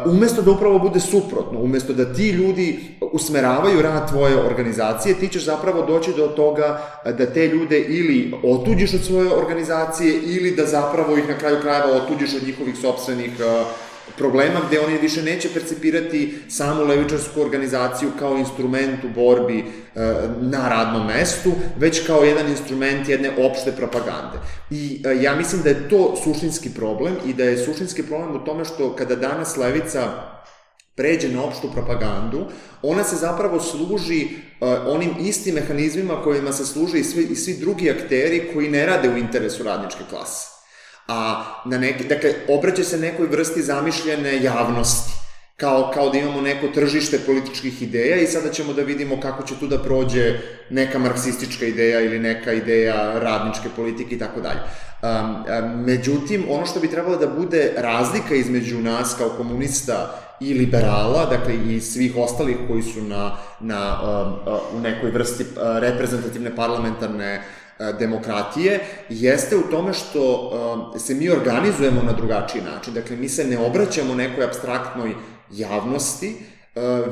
umesto da upravo bude suprotno, umesto da ti ljudi usmeravaju rad tvoje organizacije, ti ćeš zapravo doći do toga da te ljude ili otuđiš od svoje organizacije ili da zapravo ih na kraju krajeva otuđiš od njihovih sopstvenih problema, gde oni više neće percipirati samu levičarsku organizaciju kao instrument u borbi na radnom mestu, već kao jedan instrument jedne opšte propagande. I ja mislim da je to suštinski problem i da je suštinski problem u tome što kada danas levica pređe na opštu propagandu, ona se zapravo služi onim istim mehanizmima kojima se služe i svi drugi akteri koji ne rade u interesu radničke klase. Dakle, obraća se nekoj vrsti zamišljene javnosti, kao da imamo neko tržište političkih ideja i sada ćemo da vidimo kako će tu da prođe neka marksistička ideja ili neka ideja radničke politike i tako dalje. Međutim, ono što bi trebalo da bude razlika između nas kao komunista i liberala, dakle i svih ostalih koji su u nekoj vrsti reprezentativne parlamentarne demokratije, jeste u tome što se mi organizujemo na drugačiji način. Dakle, mi se ne obraćamo nekoj apstraktnoj javnosti,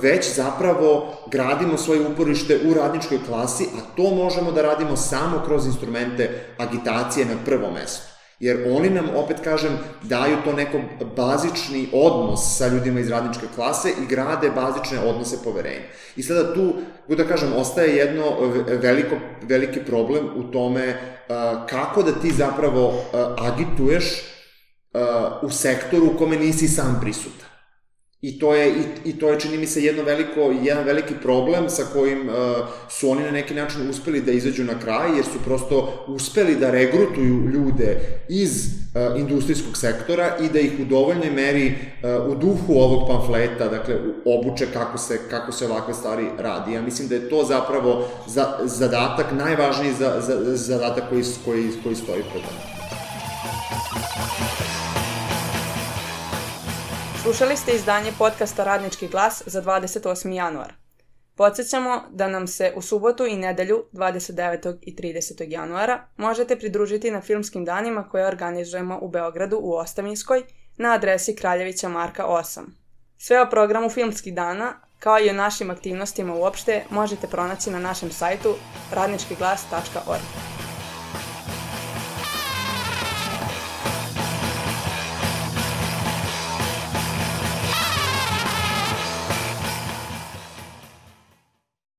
već zapravo gradimo svoje uporište u radničkoj klasi, a to možemo da radimo samo kroz instrumente agitacije na prvom mestu. Jer oni nam, opet kažem, daju to neko bazični odnos sa ljudima iz radničke klase i grade bazične odnose poverenja. I sada tu, da kažem, ostaje jedno veliki problem u tome kako da ti zapravo agituješ u sektoru u kome nisi sam prisutan. I to je, čini mi se, jedan veliki problem sa kojim su oni na neki način uspeli da izađu na kraj, jer su prosto uspeli da regrutuju ljude iz industrijskog sektora i da ih u dovoljnoj meri u duhu ovog pamfleta, dakle, obuče kako se ovakve stvari radi. Ja mislim da je to zapravo zadatak, najvažniji zadatak koji stoji pred nama. Slušali ste izdanje podcasta Radnički glas za 28. januar. Podsjećamo da nam se u subotu i nedelju 29. i 30. januara možete pridružiti na filmskim danima koje organizujemo u Beogradu u Ostavinskoj na adresi Kraljevića Marka 8. Sve o programu filmskih dana, kao i o našim aktivnostima uopšte, možete pronaći na našem sajtu radničkiglas.org.